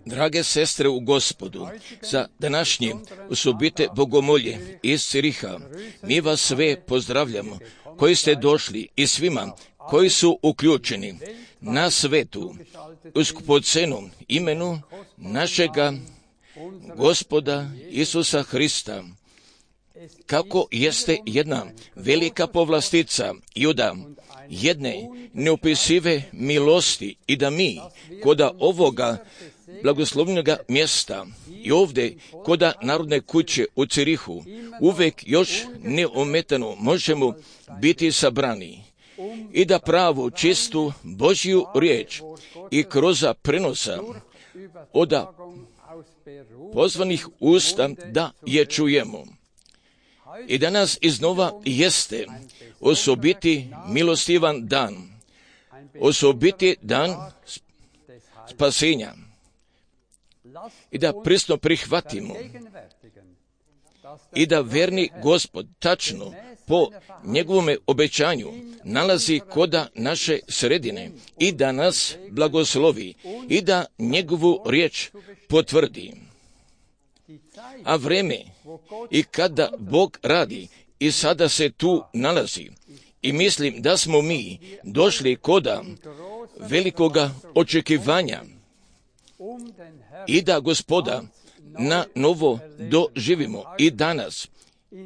Drage sestre u Gospodu, za današnje osobite bogomolje iz Ciriha, mi vas sve pozdravljamo, koji ste došli i svima koji su uključeni na svetu, u skupocenom imenu našega Gospoda Isusa Hrista. Kako jeste jedna velika povlastica Juda, jedne neopisive milosti i da mi koda ovoga blagoslovnoga mjesta i ovdje koda Narodne kuće u Cirihu uvek još neometano možemo biti sabrani i da pravu čistu Božju riječ i kroz prenosa od pozvanih usta da je čujemo. I danas iznova jeste osobiti milostivan dan, osobiti dan spasenja. I da prisno prihvatimo i da verni Gospod tačno po njegovome obećanju nalazi koda naše sredine i da nas blagoslovi i da njegovu riječ potvrdi. A vreme i kada Bog radi i sada se tu nalazi i mislim da smo mi došli koda velikoga očekivanja i da Gospoda na novo doživimo i danas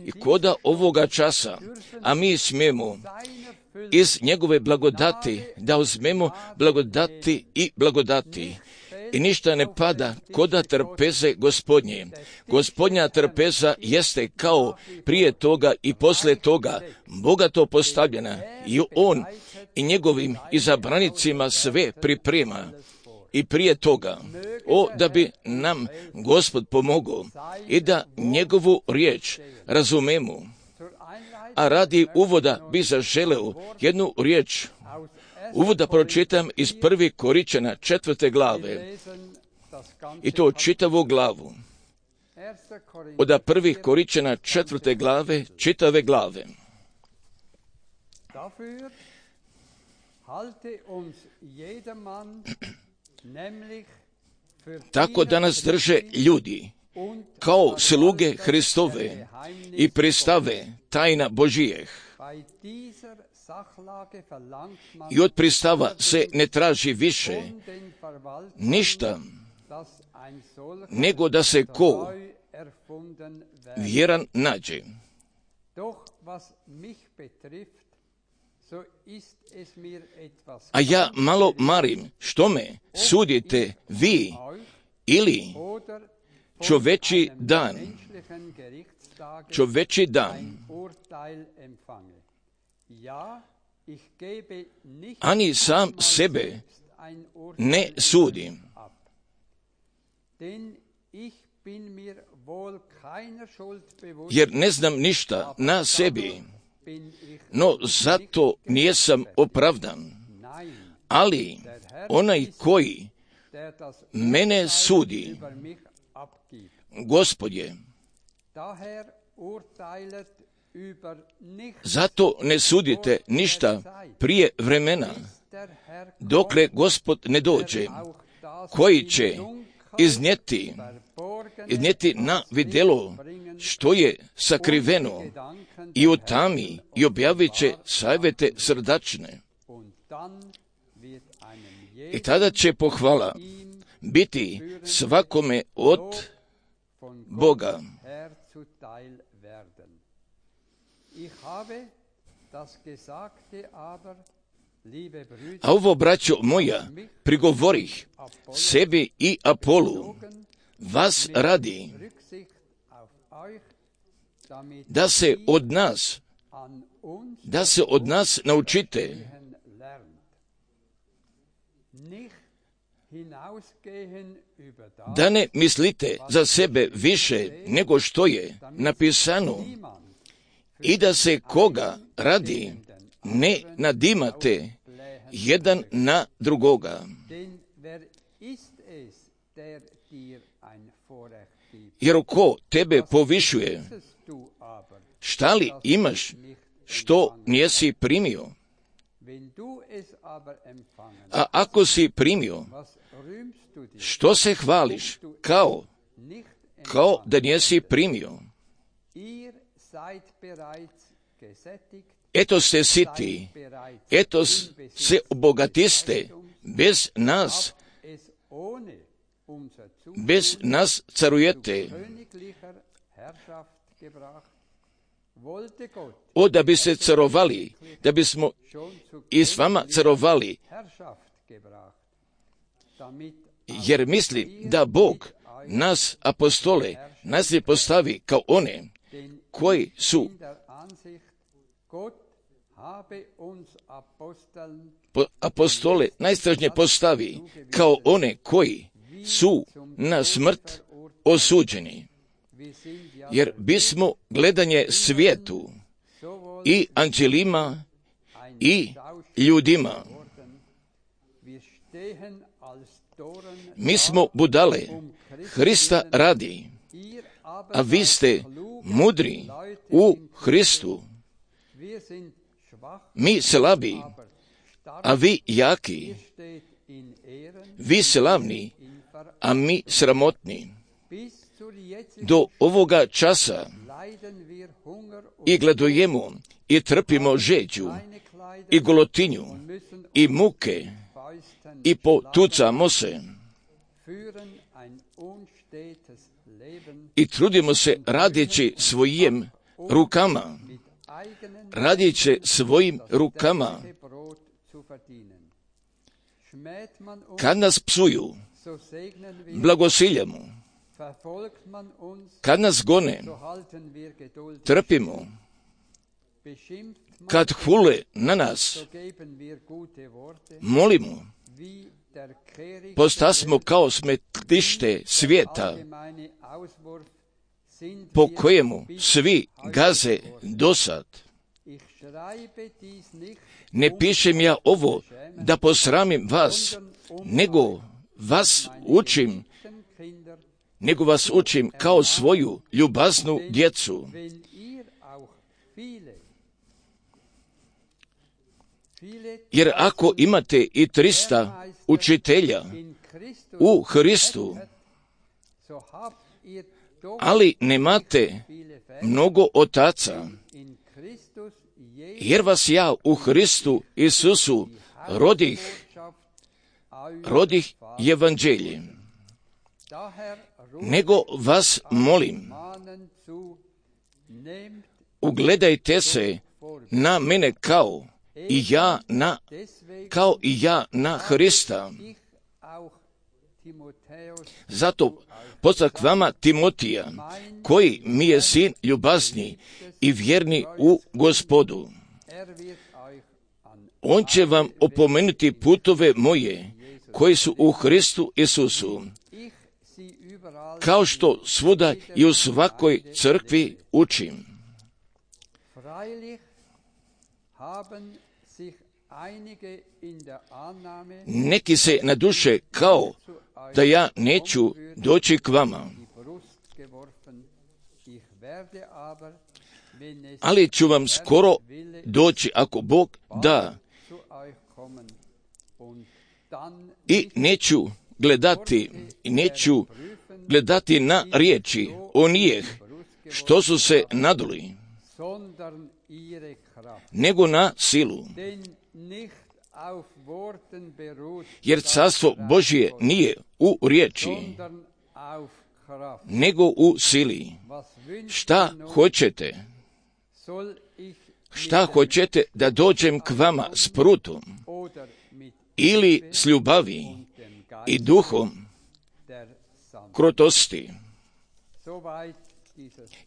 i koda ovoga časa, a mi smijemo iz njegove blagodati da uzmemo blagodati i blagodati. I ništa ne pada koda trpeze Gospodnje. Gospodnja trpeza jeste kao prije toga i posle toga bogato postavljena i on i njegovim izabranicima sve priprema. I prije toga, da bi nam Gospod pomogao i da njegovu riječ razumemo. A radi uvoda bi zaželeo jednu riječ. Uvoda pročitam iz 1. Koričana 4. glave. I to čitavu glavu. Od 1. Koričana 4. glave, čitave glave. Tako da nas drže ljudi kao sluge Hristove i pristave tajna Božijeh. I od pristava se ne traži više ništa nego da se ko vjeran nađe. A ja malo marim, što me sudite vi ili čoveči dan. Ani sam sebe ne sudim. Jer ne znam ništa na sebi, no zato nijesam opravdan. Ali onaj koji mene sudi, Gospod je. Zato ne sudite ništa prije vremena, dokle Gospod ne dođe, koji će iznijeti na vidjelo što je sakriveno i u tami i objavit će savjete srdačne. I tada će pohvala biti svakome od Boga. A ovo, braćo moja, prigovorih sebi i Apolu, vas radi, da se od nas naučite, da ne mislite za sebe više nego što je napisano i da se koga radi ne nadimate jedan na drugoga. Jer ko tebe povišuje, šta li imaš što nijesi primio? A ako si primio, što se hvališ kao da nijesi primio? Eto ste siti, eto se obogatiste, bez nas carujete. Da bi se carovali, da bismo i s vama carovali, jer misli da Bog nas apostole nas ne postavi kao one koji su apostole najstražnije postavi kao one koji su na smrt osuđeni. jer bismo gledanje svijetu i anđelima i ljudima. Mi smo budale Hrista radi, a vi ste mudri u Hristu. Mi slabi, a vi jaki. Vi slavni, a mi sramotni. Do ovoga časa i gladujemo i trpimo žeđu i golotinju i muke i potucamo se i trudimo se radeći svojim rukama, radeći svojim rukama. Kad nas psuju, blagosiljamo. Kad nas gone, trpimo. Kad hule na nas, molimo. Postasmo kao smetlište svijeta, po kojemu svi gaze dosad. Ne pišem ja ovo da posramim vas, nego vas učim kao svoju ljubaznu djecu. Jer ako imate i 300 učitelja u Hristu, ali nemate mnogo otaca, jer vas ja u Hristu Isusu rodih evanđeljem. Nego vas molim, ugledajte se na mene kao i ja na Hrista. Zato poslah vama Timotija, koji mi je sin ljubazni i vjerni u Gospodu. On će vam opomenuti putove moje, koji su u Hristu Isusu, kao što svuda i u svakoj crkvi učim. Neki se naduše kao da ja neću doći k vama, ali ću vam skoro doći ako Bog da, i neću gledati na riječi onih što su se naduli, nego na silu. Jer carstvo Božje nije u riječi, nego u sili. Šta hoćete? Šta hoćete da dođem k vama s prutom ili s ljubavi i duhom krotosti?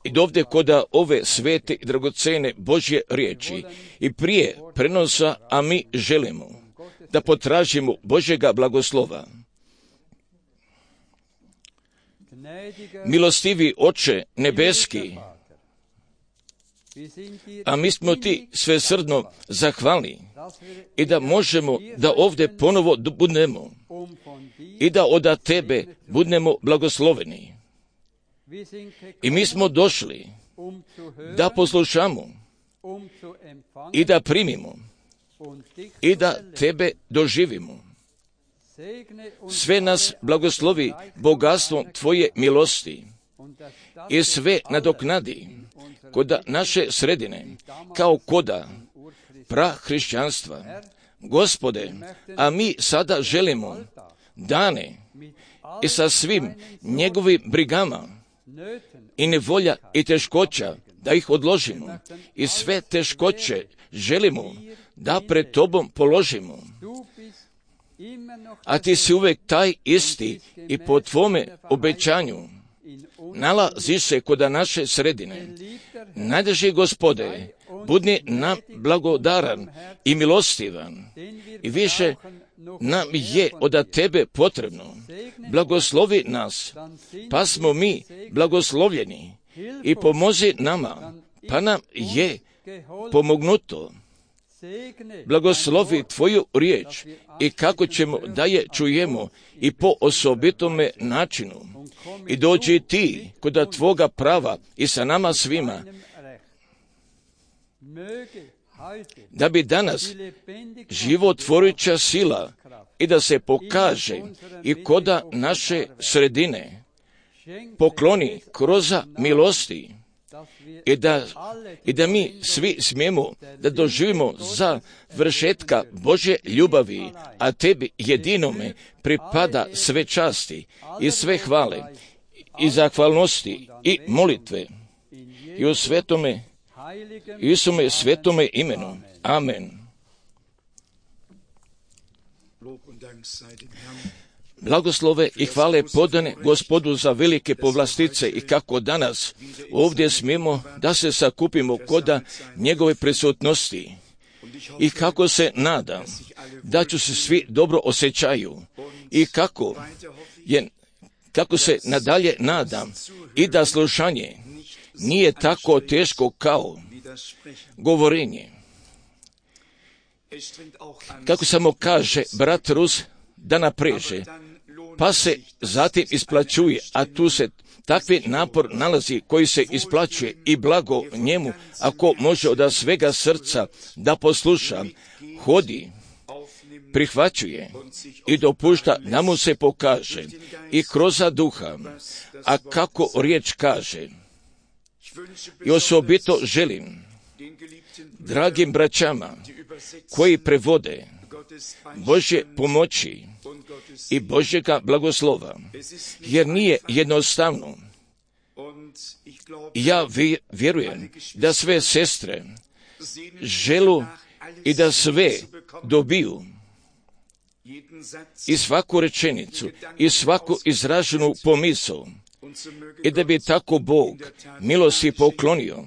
I dovde koda ove svete i dragocene Božje riječi i prije prenosa, a mi želimo da potražimo Božjega blagoslova. Milostivi Oče nebeski, a mi smo ti svesrdno zahvalni i da možemo da ovdje ponovo budemo i da od tebe budemo blagosloveni. I mi smo došli da poslušamo i da primimo i da tebe doživimo. Sve nas blagoslovi bogatstvom tvoje milosti i sve nadoknadi koda naše sredine, kao koda prahrišćanstva. Gospode, a mi sada želimo dane i sa svim njegovim brigama i nevolja i teškoća da ih odložimo i sve teškoće želimo da pred tobom položimo. A ti si uvek taj isti i po tvome obećanju nalaziš se koda naše sredine. Najdraži Gospode, budni nam blagodaran i milostivan i više nam je od tebe potrebno. Blagoslovi nas, pa smo mi blagoslovljeni, i pomozi nama, pa nam je pomognuto. Blagoslovi tvoju riječ i kako ćemo da je čujemo i po osobitome načinu. I dođi ti kod tvoga prava i sa nama svima, da bi danas životvoruća sila i da se pokaže i koda naše sredine pokloni kroz milosti i da mi svi smijemo da doživimo za vršetka Božje ljubavi, a tebi jedinome pripada sve časti i sve hvale i zahvalnosti i molitve i u svetome Isuse svetome imenu. Amen. Blagoslove i hvale podane Gospodu za velike povlastice i kako danas ovdje smijemo da se sakupimo koda njegove prisutnosti i kako se nadam da ću se svi dobro osjećaju i kako se nadalje nadam i da slušanje nije tako teško kao govorenje. Kako samo kaže brat Rus da napreže, pa se zatim isplaćuje, a tu se takvi napor nalazi koji se isplaćuje i blago njemu, ako može od svega srca da posluša, hodi, prihvaćuje i dopušta da mu se pokaže i kroz duha, a kako riječ kaže. I osobito želim dragim braćama koji prevode Božje pomoći i Božjega blagoslova, jer nije jednostavno. Ja vjerujem da sve sestre želu i da sve dobiju i svaku rečenicu i svaku izraženu pomisao i da bi tako Bog milosti poklonio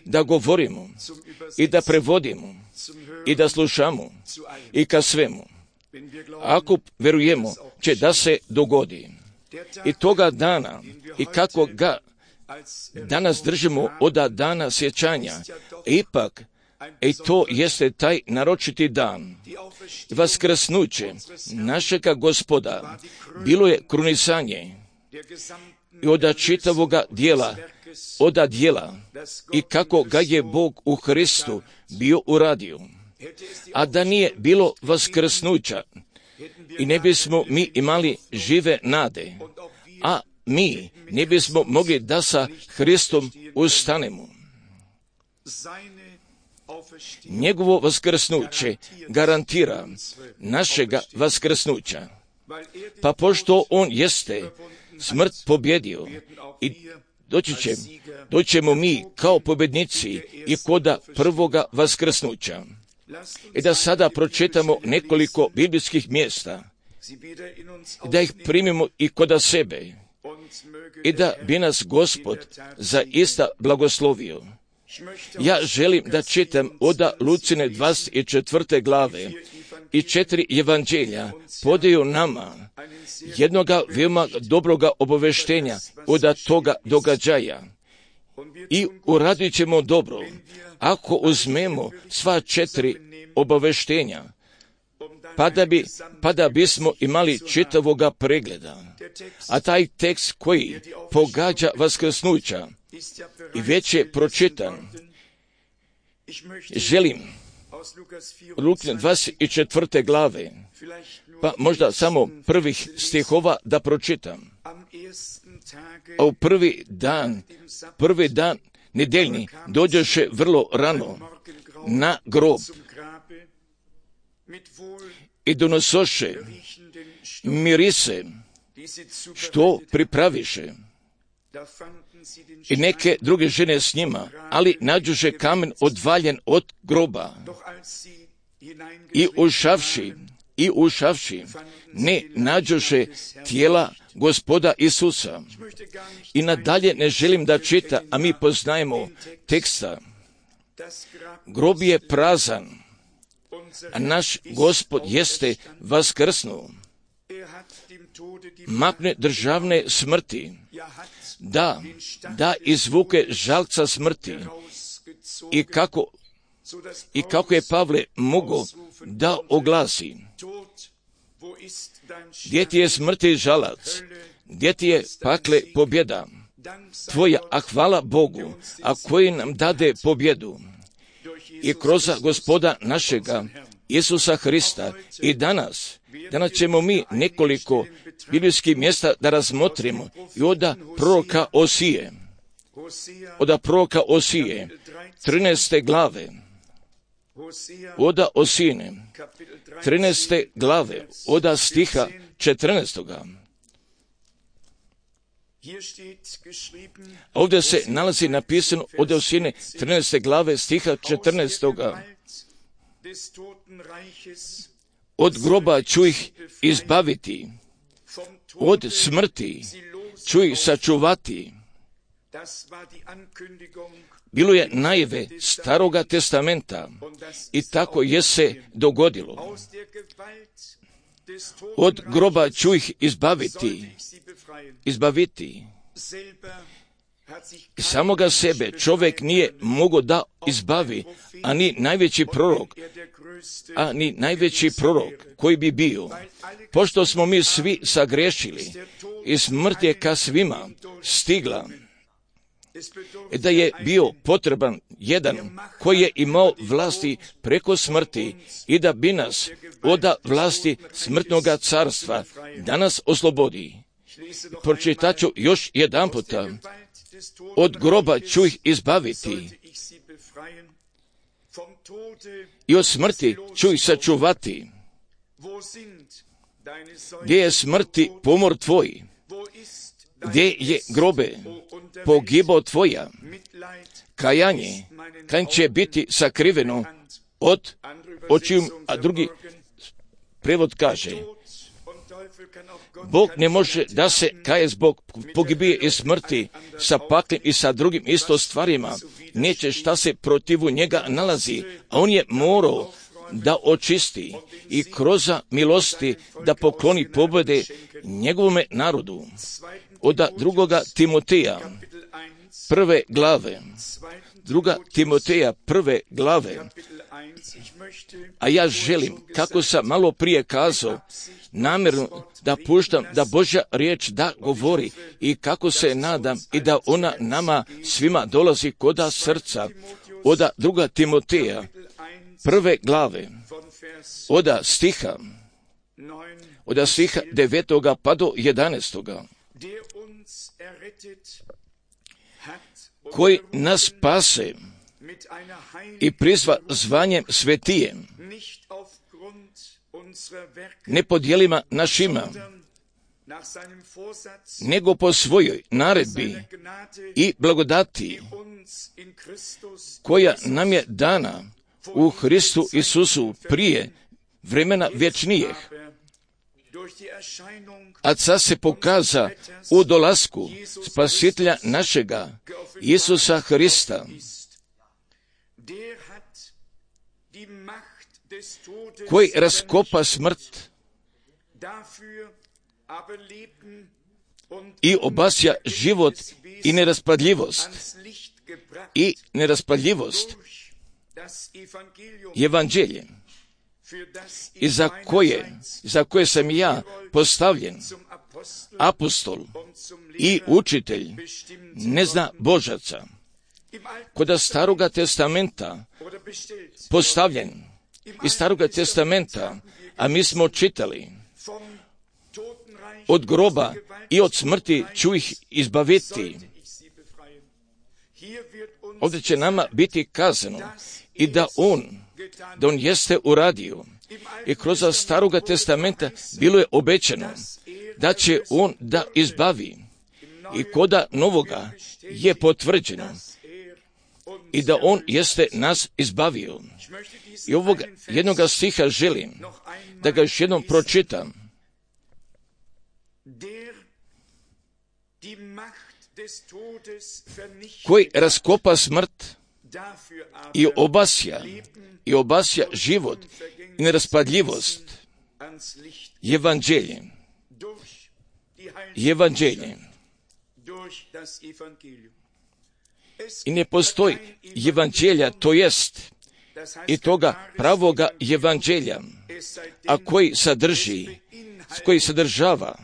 da govorimo i da prevodimo i da slušamo i ka svemu. Ako vjerujemo će da se dogodi i toga dana i kako ga danas držimo od dana sjećanja, ipak i to jeste taj naročiti dan. Vaskrsnuće našega Gospoda bilo je krunisanje i od čitavoga dijela, i kako ga je Bog u Hristu bio uradio. A da nije bilo vaskrsnuća i ne bismo mi imali žive nade, a mi ne bismo mogli da sa Hristom ustanemo. Njegovo vaskrsnuće garantira našega vaskrsnuća. Pa pošto on jeste smrt pobjedio i doćemo mi kao pobjednici i koda prvoga vaskrsnuća. I da sada pročitamo nekoliko biblijskih mjesta, da ih primimo i koda sebe i da bi nas Gospod zaista blagoslovio. Ja želim da čitam od Lucine 24. glave i 4 evanđelja podaju nama jednoga veoma dobroga obaveštenja od toga događaja. I uradit ćemo dobro ako uzmemo sva 4 obaveštenja, pa da bismo imali čitavoga pregleda. A taj tekst koji pogađa vaskrsnuća i već je pročitan, želim Luke 24. glave, pa možda samo prvih stihova da pročitam. A u prvi dan nedeljni dođoše vrlo rano na grob i donosoše mirise što pripraviše i neke druge žene s njima, ali nađoše kamen odvaljen od groba i ušavši ne nađoše tijela Gospoda Isusa. I nadalje ne želim da čita, a mi poznajemo teksta. Grob je prazan a naš Gospod jeste vaskrsnuo. Makne državne smrti, da izvuke žalca smrti. I kako je Pavle mogao da oglasi: gdje ti je smrti žalac, gdje ti je pakle pobjeda tvoja, a hvala Bogu, a koji nam dade pobjedu i kroz Gospoda našega Isusa Hrista. I danas ćemo mi nekoliko biblijskih mjesta da razmotrimo i od proroka Osije, 13. glave, od Osijine, 13. glave, od stiha 14. Ovdje se nalazi napisano od Osijine 13. glave stiha 14. Od groba ću ih izbaviti, od smrti ću ih sačuvati. Bilo je najave Staroga testamenta i tako je se dogodilo. Od groba ću ih izbaviti. Samoga sebe čovjek nije mogao da izbavi, a ni najveći prorok koji bi bio. Pošto smo mi svi sagrešili i smrt je ka svima stigla, da je bio potreban jedan koji je imao vlasti preko smrti i da bi nas od vlasti smrtnoga carstva danas oslobodi. Pročitat ću još jedan puta: od groba ću ih izbaviti i od smrti ću ih sačuvati. Gdje je smrti pomor tvoj? Gdje je grobe pogibao tvoja? Kajanje će biti sakriveno od očiju, a drugi prevod kaže: Bog ne može da se kaje zbog pogibije i smrti sa paklim i sa drugim isto stvarima. Neće šta se protivu njega nalazi, a on je morao da očisti i kroz milosti da pokloni pobjede njegovome narodu. Od 2. Timoteja, 1. glave, 2. Timoteja, 1. glave, a ja želim, kako sam malo prije kazao, namjerno da puštam da Božja riječ da govori i kako se nadam i da ona nama svima dolazi koda srca. Od 2. Timoteja, 1. glave, od stiha 9. pa do 11. koji nas spase i prizva zvanjem svetijem, ne po djelima našima, nego po svojoj naredbi i blagodati, koja nam je dana u Hristu Isusu prije vremena vječnijeh, a sad se pokaza u dolasku Spasitelja našega Isusa Hrista, koji raskopa smrt i obasja život i neraspadljivost evanđelje, i za koje sam ja postavljen apostol i učitelj ne zna Božaca. Kod Staroga testamenta postavljen iz Staroga testamenta, a mi smo čitali: od groba i od smrti ću ih izbaviti. Ovdje će nama biti kazano i da on jeste uradio. I kroz Staroga testamenta bilo je obećano da će on da izbavi. I koda Novoga je potvrđeno i da on jeste nas izbavio. I ovog jednoga stiha želim da ga još jednom pročitam. Koji raskopa smrt i obasja život i neraspadljivost Evanđelje. I ne postoji evanđelja, to jest i toga pravoga evanđelja, a koji sadržava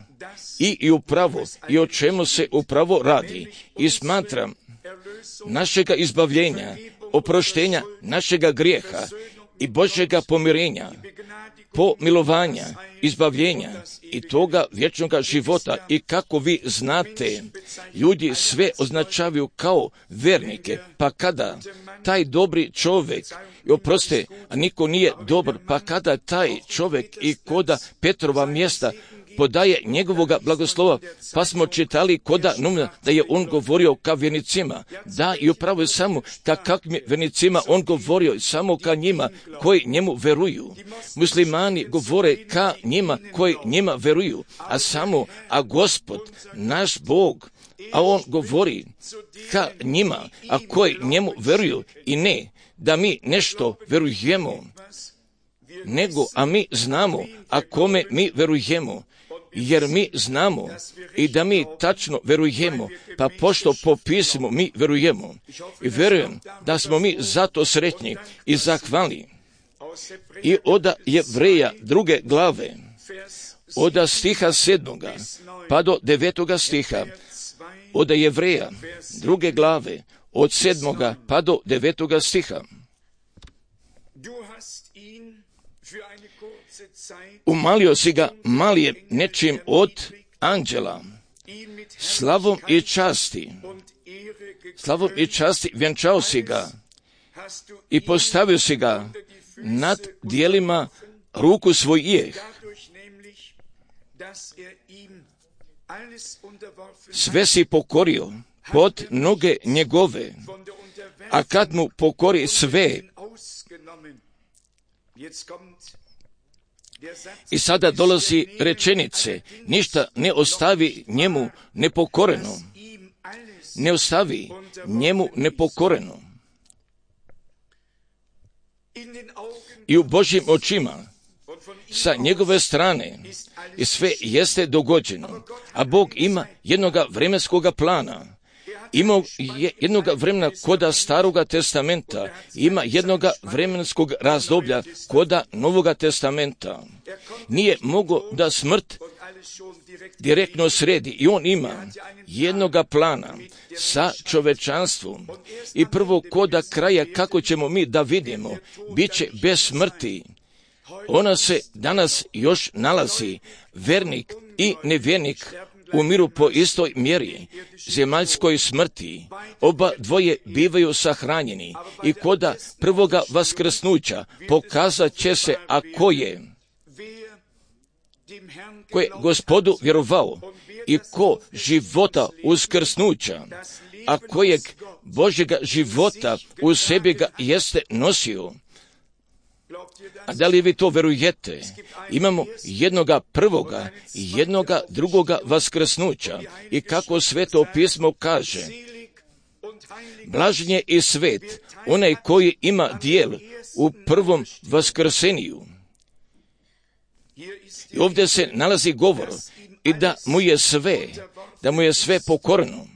i upravo i o čemu se upravo radi. I smatram našega izbavljenja, oproštenja našega grijeha i Božjega pomirenja, pomilovanja, izbavljenja i toga vječnoga života. I kako vi znate, ljudi sve označavaju kao vernike, pa kada taj dobri čovjek, oproste, a niko nije dobar, pa kada taj čovjek i koda Petrova mjesta podaje njegovoga blagoslova, pa smo čitali koda Numna da je on govorio ka vjernicima, da i upravo je samo ka kakvim vjernicima on govorio, samo ka njima koji njemu veruju. Muslimani govore ka njima koji njima veruju, a Gospod, naš Bog, a on govori ka njima, a koji njemu veruju, i ne da mi nešto verujemo, nego, a mi znamo, a kome mi verujemo, jer mi znamo i da mi tačno verujemo, pa pošto po pismu mi verujemo. I verujem da smo mi zato sretni i zahvalni. I od Jevreja 2. glave, od stiha 7. pa do 9. stiha, od Jevreja 2. glave, od 7. pa do 9. stiha. Umalio si ga malije nečim od anđela, slavom i časti vjenčao si ga i postavio si ga nad dijelima ruku svojih. Sve si pokorio pod noge njegove, a kad mu pokori sve. I sada dolazi rečenice, ništa ne ostavi njemu nepokoreno. Ne ostavi njemu nepokoreno. I u Božjim očima, sa njegove strane, i sve jeste dogođeno, a Bog ima jednoga vremenskoga plana. Ima jednoga vremena koda Staroga testamenta, ima jednoga vremenskog razdoblja koda Novoga testamenta. Nije mogo da smrt direktno sredi i on ima jednoga plana sa čovečanstvom. I prvo koda kraja kako ćemo mi da vidimo, bit će bez smrti. Ona se danas još nalazi, vernik i nevjernik umiru po istoj mjeri, zemaljskoj smrti. Oba dvoje bivaju sahranjeni i koda prvoga vaskrsnuća pokazat će se, a ko je Gospodu vjerovao i ko života uskrsnuća, a kojeg Božjega života u sebi ga jeste nosio. A da li vi to verujete? Imamo jednoga prvoga i jednoga drugoga vaskrsnuća. I kako Sveto pismo kaže, blažen je i svet onaj koji ima dijel u prvom vaskrseniju. I ovdje se nalazi govor i da mu je sve pokorno,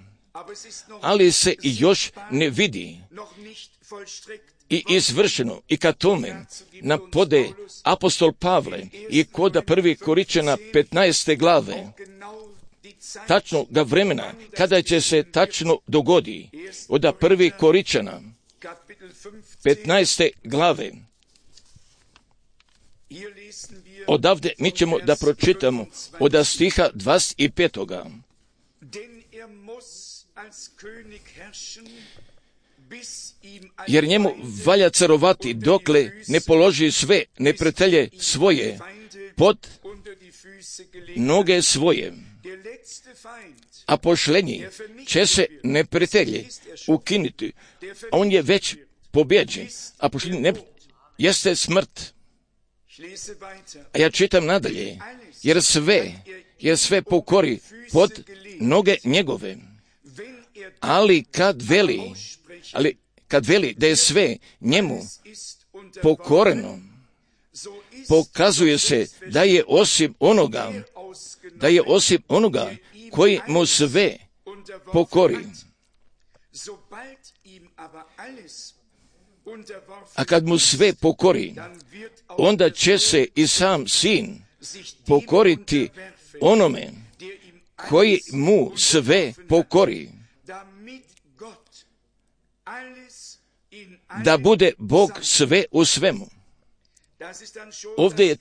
ali se i još ne vidi i izvršeno. I kad tome napode apostol Pavle i koda 1. Koričana 15. glave, tačno ga vremena kada će se tačno dogodi, od 1. Koričana 15. glave, odavde mi ćemo da pročitamo od stiha 25. Jer njemu valja carovati dokle ne položi sve neprijatelje svoje pod noge svoje. A pošlenji će se neprijatelji ukinuti. On je već pobjeđen, a pošlenji jeste smrt. A ja čitam nadalje, jer sve pokori pod noge njegove. Ali kad veli da je sve njemu pokoreno, pokazuje se da je osim onoga koji mu sve pokori. A kad mu sve pokori, onda će se i sam sin pokoriti onome koji mu sve pokori, da bude Bog sve u svemu. Ovdje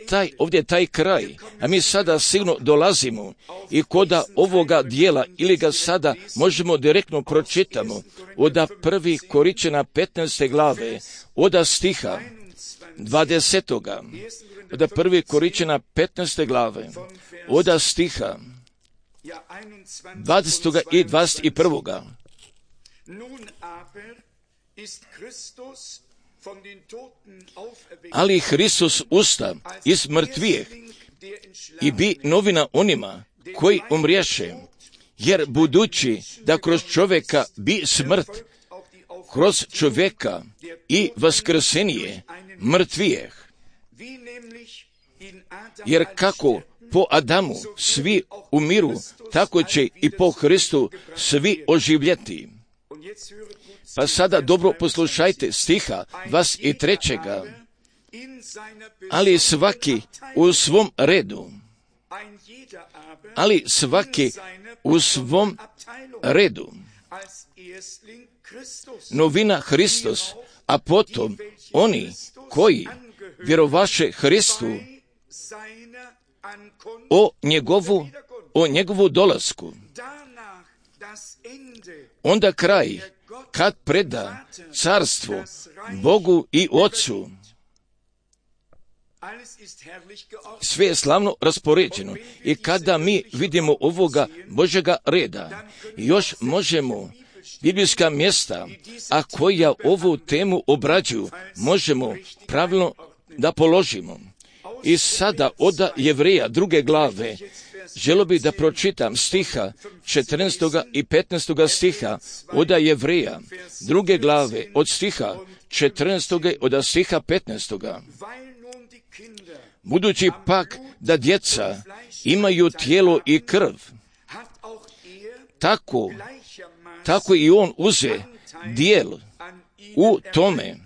je taj kraj, a mi sada sigurno dolazimo i koda ovoga dijela, ili ga sada možemo direktno pročitamo, od 1. Korinćana 15. glave, od stiha 20. Od 1. Korinćana 15. glave, od stiha 20. i 21. Ali Hristos usta iz mrtvijeh i bi novina onima koji umriješe, jer budući da kroz čovjeka bi smrt, kroz čovjeka i vaskrsenje mrtvijeh. Jer kako po Adamu svi umiru, tako će i po Hristu svi oživjeti. Pa sada dobro poslušajte stiha 23. Ali svaki u svom redu. Ali svaki u svom redu. Novina Hristos, a potom oni koji vjerovaše Hristu o njegovu dolasku. Onda kraj, kad preda carstvo Bogu i Otcu. Sve je slavno raspoređeno i kada mi vidimo ovoga Božjega reda, još možemo biblijska mjesta, a koja ovu temu obrađuju, možemo pravilno da položimo. I sada od Jevreja 2. glave želio bih da pročitam stiha 14. i 15. stiha od Jevreja 2. glave od stiha 14. od stiha 15. Budući pak da djeca imaju tijelo i krv, tako i on uze dijel u tome,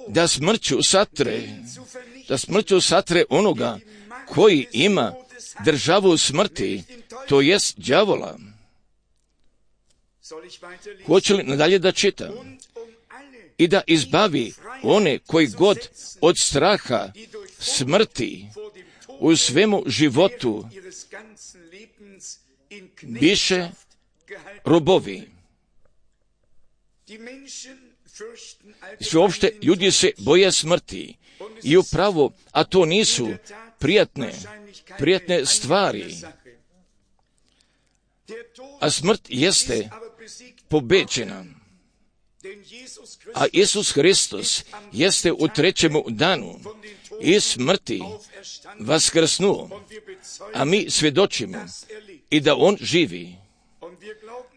da smrću satre onoga koji ima državu smrti, to jest đavola. Hoće li nadalje da čitam? I da izbavi one koji god od straha smrti u svemu životu biše robovi. Sveopšte ljudi se boje smrti i upravo, a to nisu prijatne stvari. A smrt jeste pobeđena. A Isus Hristos jeste u 3. danu iz smrti vaskrsnuo, a mi svjedočimo i da on živi.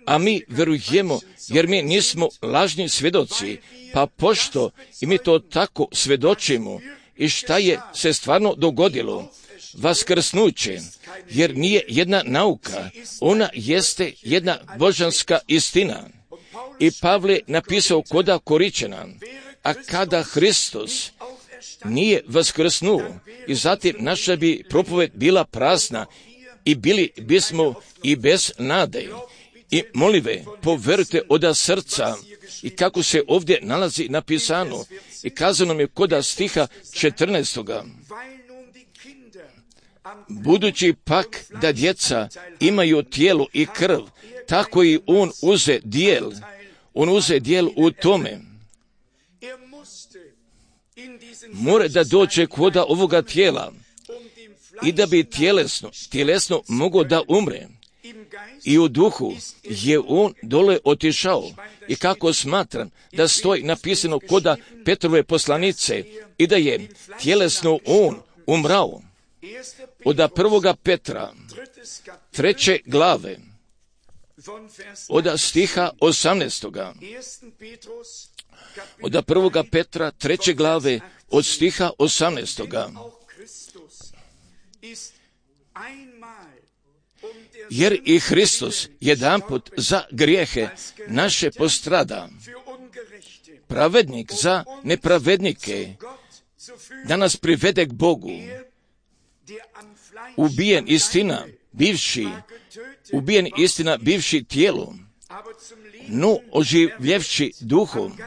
A mi verujemo, jer mi nismo lažni svjedoci, pa pošto i mi to tako svjedočimo i šta je se stvarno dogodilo, vaskrsnuće, jer nije jedna nauka, ona jeste jedna božanska istina. I Pavle napisao koda Koričana, a kada Hristos nije vaskrsnuo, i zatim naša bi propoved bila prazna i bili bismo i bez nade. I molive, poverujte od srca i kako se ovdje nalazi napisano i kazano mi je koda stiha 14. Budući pak da djeca imaju tijelo i krv, tako i on uze dijel u tome. Mora da dođe koda ovoga tijela i da bi tjelesno mogao da umre. I u duhu je on dole otišao i kako smatram da stoji napisano koda Petrove poslanice i da je tjelesno on umrao. Od 1. Petra 3. glave od stiha 18. od 1. Petra 3. glave od stiha 18. Jer i Hristos jedanput za grijehe naše postrada, pravednik za nepravednike, da nas privede k Bogu, ubijen istina bivši tijelom, no oživljevši duhom,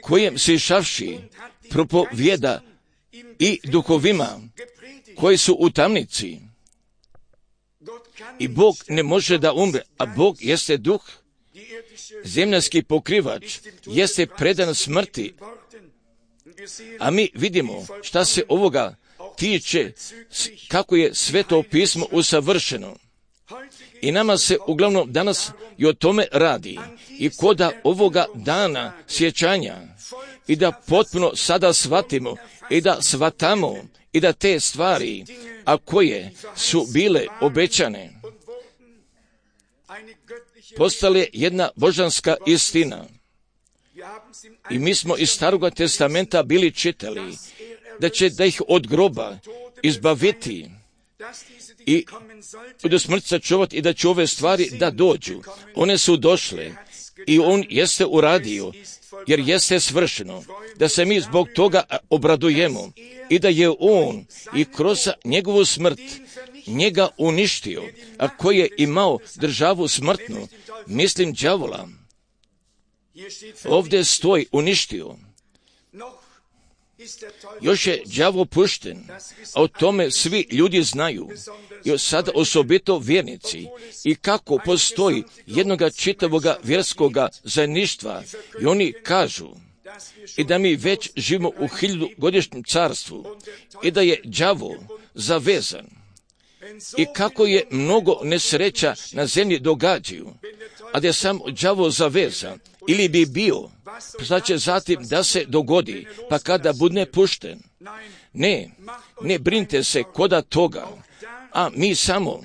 kojem sišavši propovjeda i duhovima koji su u tamnici. I Bog ne može da umre, a Bog jeste duh. Zemljanski pokrivač jeste predan smrti, a mi vidimo šta se ovoga tiče, kako je Sveto pismo usavršeno. I nama se uglavnom danas i o tome radi. I koda ovoga dana sjećanja, i da potpuno sada shvatimo, i da shvatamo, i da te stvari, a koje su bile obećane, postale jedna božanska istina. I mi smo iz Staroga testamenta bili čitali da će da ih od groba izbaviti i do smrti sačuvati i da će ove stvari da dođu. One su došle i on jeste uradio, jer jeste svršeno, da se mi zbog toga obradujemo i da je on i kroz njegovu smrt njega uništio, a koji je imao državu smrtnu, mislim đavola. Ovdje stoji uništio. Još je đavo pušten, a o tome svi ljudi znaju, i sada osobito vjernici, i kako postoji jednoga čitavoga vjerskoga zajedništva, i oni kažu i da mi već živimo u 1000-godišnjem carstvu i da je đavo zavezan. I kako je mnogo nesreća na zemlji događaju, a da je sam đavo zavezan, ili bi bio, šta će zatim da se dogodi, pa kada bude pušten. Ne brinite se koda toga, a mi samo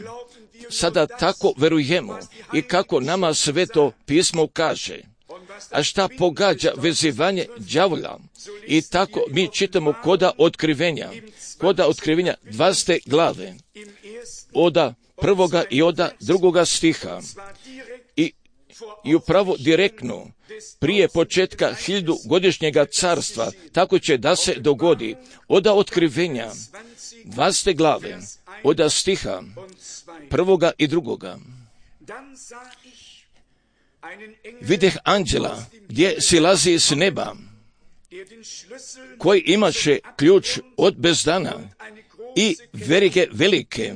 sada tako verujemo i kako nama Sveto pismo kaže. A šta pogađa vezivanje đavola? I tako mi čitamo koda otkrivenja 20. glave, od 1. i od 2. stiha. I upravo direktno prije početka 1000-godišnjega carstva, tako će da se dogodi od otkrivenja 20. glave, od stiha 1. i 2. Videh anđela gdje silazi s neba, koji imaše ključ od bezdana i verige velike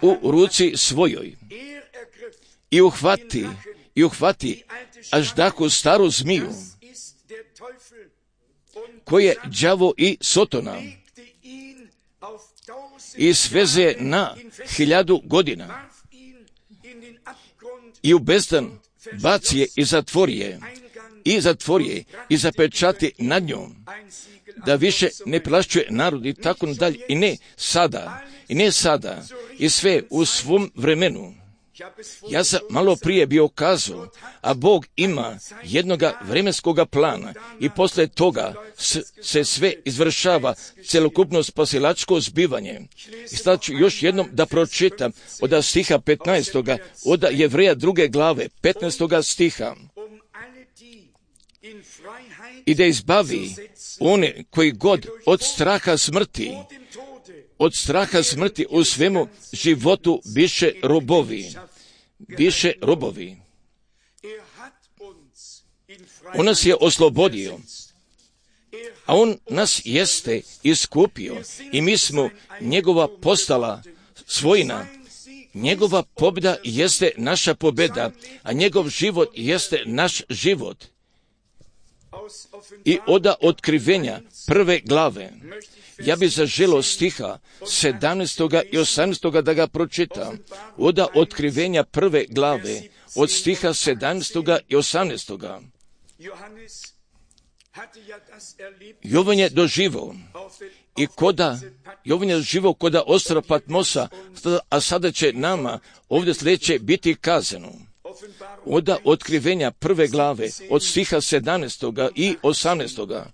u ruci svojoj. I uhvati aždahu staru zmiju, koji je đavo i Sotona, i sveze na 1000 godina. I u bezdan baci je i zatvori je i zapečati nad njom, da više ne plašćuje narod i tako nadalje. I ne sada, i sve u svom vremenu. Ja sam malo prije bio kazao, a Bog ima jednoga vremenskoga plana i posle toga se sve izvršava, celokupno spasilačko zbivanje. I sad ću još jednom da pročitam od stiha 15. od Jevreja 2. glave 15. stiha. I da izbavi one koji god od straha smrti u svemu životu biše robovi. On nas je oslobodio, a on nas jeste iskupio i mi smo njegova postala svojina. Njegova pobjeda jeste naša pobjeda, a njegov život jeste naš život. I od otkrivenja 1. glave, ja bi zaželio stiha 17. i 18. da ga pročitam. Od otkrivenja 1. glave, od stiha 17. i 18. Jovan je doživao i Jovan je doživao koda ostrva Patmosa, a sada će nama ovdje sljedeće biti kazano. od otkrivenja 1. glave, od stiha 17. i 18.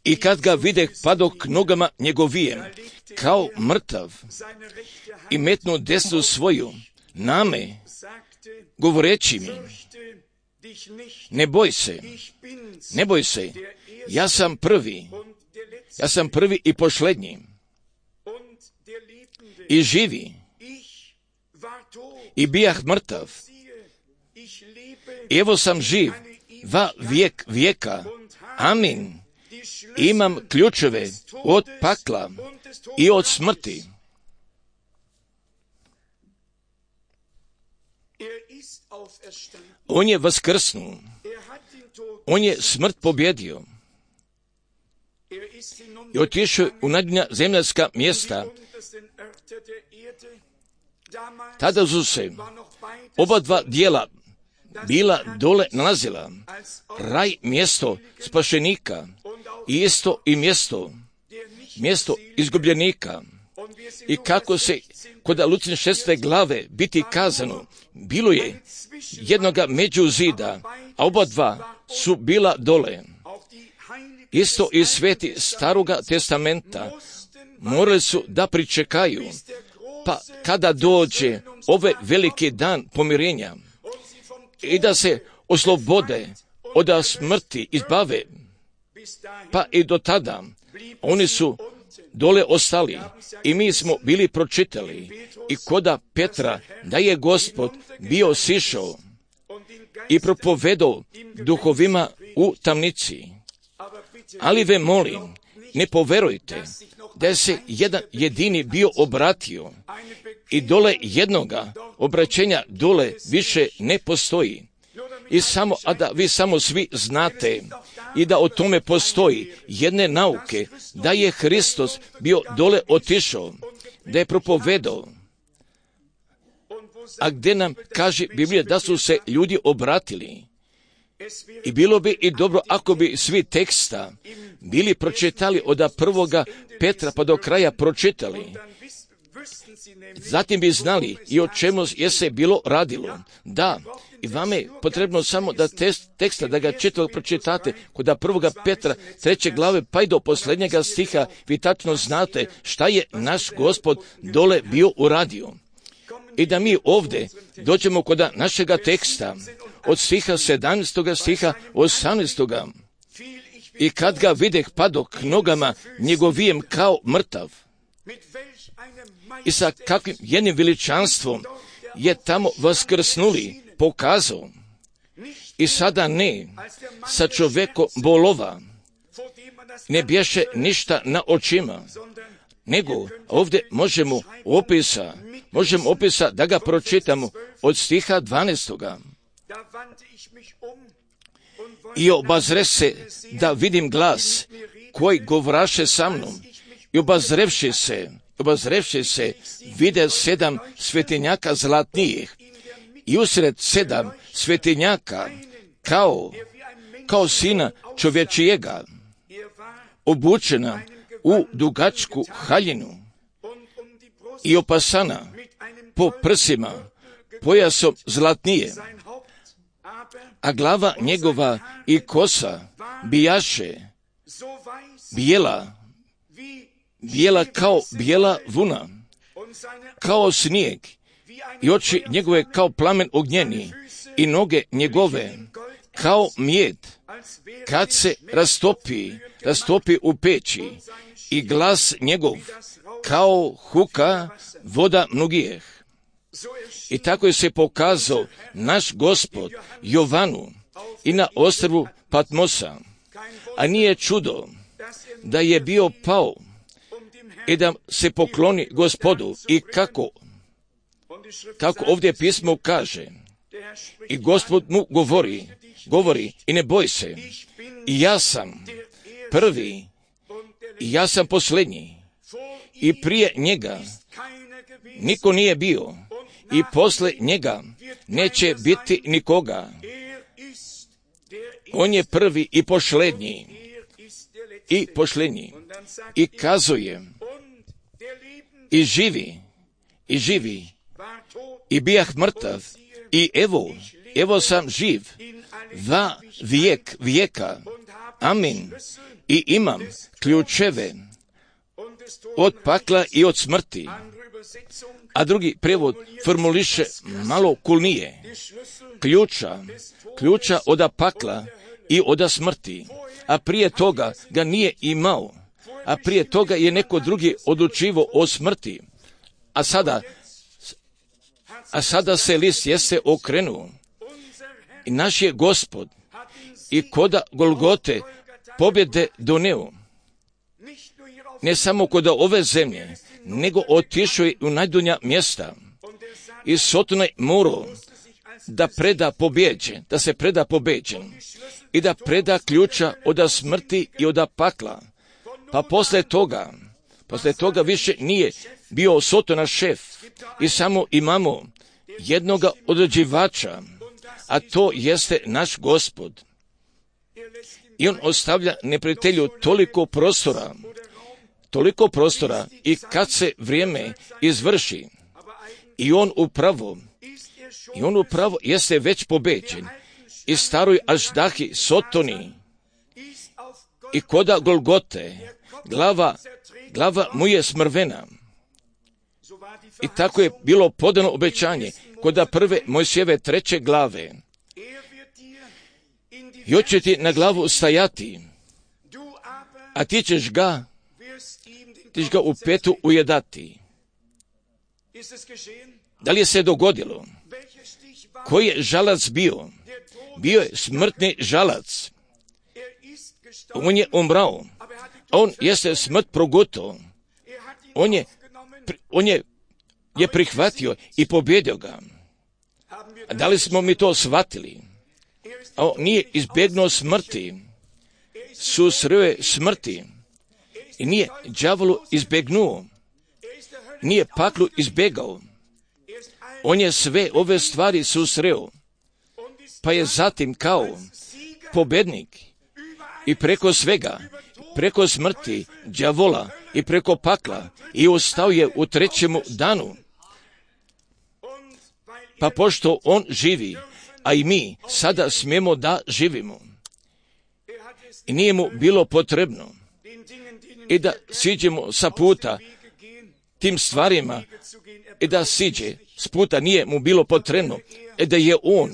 I kad ga videh, padok k nogama njegovijem, kao mrtav, i metnu desnu svoju na me, govoreći mi, ne boj se, ja sam prvi i posljednji, i živi, i bijah mrtav, i evo sam živ, va vijek vijeka, amin, imam ključeve od pakla i od smrti. On je vaskrsnuo, on je smrt pobjedio i otišao u najbolja zemaljska mjesta. Tada su se oba dva dijela bila dole nalazila, raj mjesto spašenika i isto i mjesto izgubljenika. I kako se kod Lučine 6. glave biti kazano, bilo je jednoga među zida, a oba dva su bila dole. Isto i sveti Staroga testamenta morali su da pričekaju, pa kada dođe ovaj veliki dan pomirenja i da se oslobode od smrti, izbave, pa i do tada oni su dole ostali i mi smo bili pročitali i koda Petra da je Gospod bio sišao i propovedao duhovima u tamnici. Ali ve molim, ne poverujte da se jedan jedini bio obratio i dole jednoga obraćenja dole više ne postoji. I samo, a da vi samo svi znate i da o tome postoji jedne nauke, da je Hristos bio dole otišao, da je propovedao. A gdje nam kaže Biblija da su se ljudi obratili. I bilo bi i dobro ako bi svi teksta bili pročitali od 1. Petra pa do kraja pročitali. Zatim bi znali i o čemu je se bilo radilo. Da, i vama je potrebno samo da teksta, da ga čitalo pročitate kod 1. Petra 3. glave pa i do posljednjega stiha, vi tačno znate šta je naš Gospod dole bio uradio. I da mi ovdje dođemo kod našega teksta od stiha 17. stiha 18. I kad ga videh padok k nogama njegovijem kao mrtav. I sa kakvim jednim veličanstvom je tamo vaskrsnuli, pokazao. I sada ne, sa čovjeko bolova, ne bješe ništa na očima, nego ovdje možemo opisa da ga pročitamo od stiha 12. I obazre se da vidim glas koji govraše sa mnom i obazrevši se vide 7 svetinjaka zlatnijih i usred 7 svetinjaka kao sina čovječijega obučena u dugačku haljinu i opasana po prsima pojasom zlatnije, a glava njegova i kosa bijaše bijela kao bijela vuna, kao snijeg, i oči njegove kao plamen ognjeni, i noge njegove kao mijed, kad se rastopi u peći, i glas njegov kao huka voda mnogijeh. I tako je se pokazao naš Gospod Jovanu i na ostrvu Patmosa, a nije čudo da je bio pao i da se pokloni Gospodu. I kako ovdje pismo kaže, i Gospod mu govori i ne boj se, i ja sam prvi i ja sam posljednji, i prije njega niko nije bio i posle njega neće biti nikoga. On je prvi i posljednji. I kazuje, i živi, i živi, i bijah mrtav, i evo sam živ, va vijek vijeka. Amin. I imam ključeve od pakla i od smrti. A drugi prijevod formuliše malo kulnije. Ključa oda pakla i oda smrti. A prije toga ga nije imao. A prije toga je neko drugi odlučivo o smrti. A sada se list jeste okrenuo. I naš je Gospod i koda Golgote pobjede doneo. Ne samo kod ove zemlje, nego otišao je u najdonja mjesta. I Sotona je morao da se preda pobjeđen i da preda ključa od smrti i od pakla. Pa posle toga više nije bio Sotona šef i samo imamo jednoga određivača, a to jeste naš Gospod. I on ostavlja neprijatelju toliko prostora i kad se vrijeme izvrši i on upravo jeste već pobeđen i staroj Aždahi Sotoni i koda Golgote glava mu je smrvena. I tako je bilo podano obećanje koda prve Mojsijeve 3. glave. I on će ti na glavu stajati, a ti ćeš ga u petu ujedati. Da li je se dogodilo? Koji je žalac bio? Bio je smrtni žalac. On je umrao. On jeste smrt progutao. On je prihvatio i pobjedio ga. A da li smo mi to shvatili? A on nije izbjegnuo smrti. Susreo je smrti. I nije đavolu izbjegnuo. Nije paklu izbjegao. On je sve ove stvari susreo. Pa je zatim kao pobjednik i preko svega, preko smrti, đavola i preko pakla i ustao je u 3. danu. Pa pošto on živi, a i mi sada smijemo da živimo. I nije mu bilo potrebno i da siđemo sa puta tim stvarima i da siđe s puta, nije mu bilo potrebno i da je on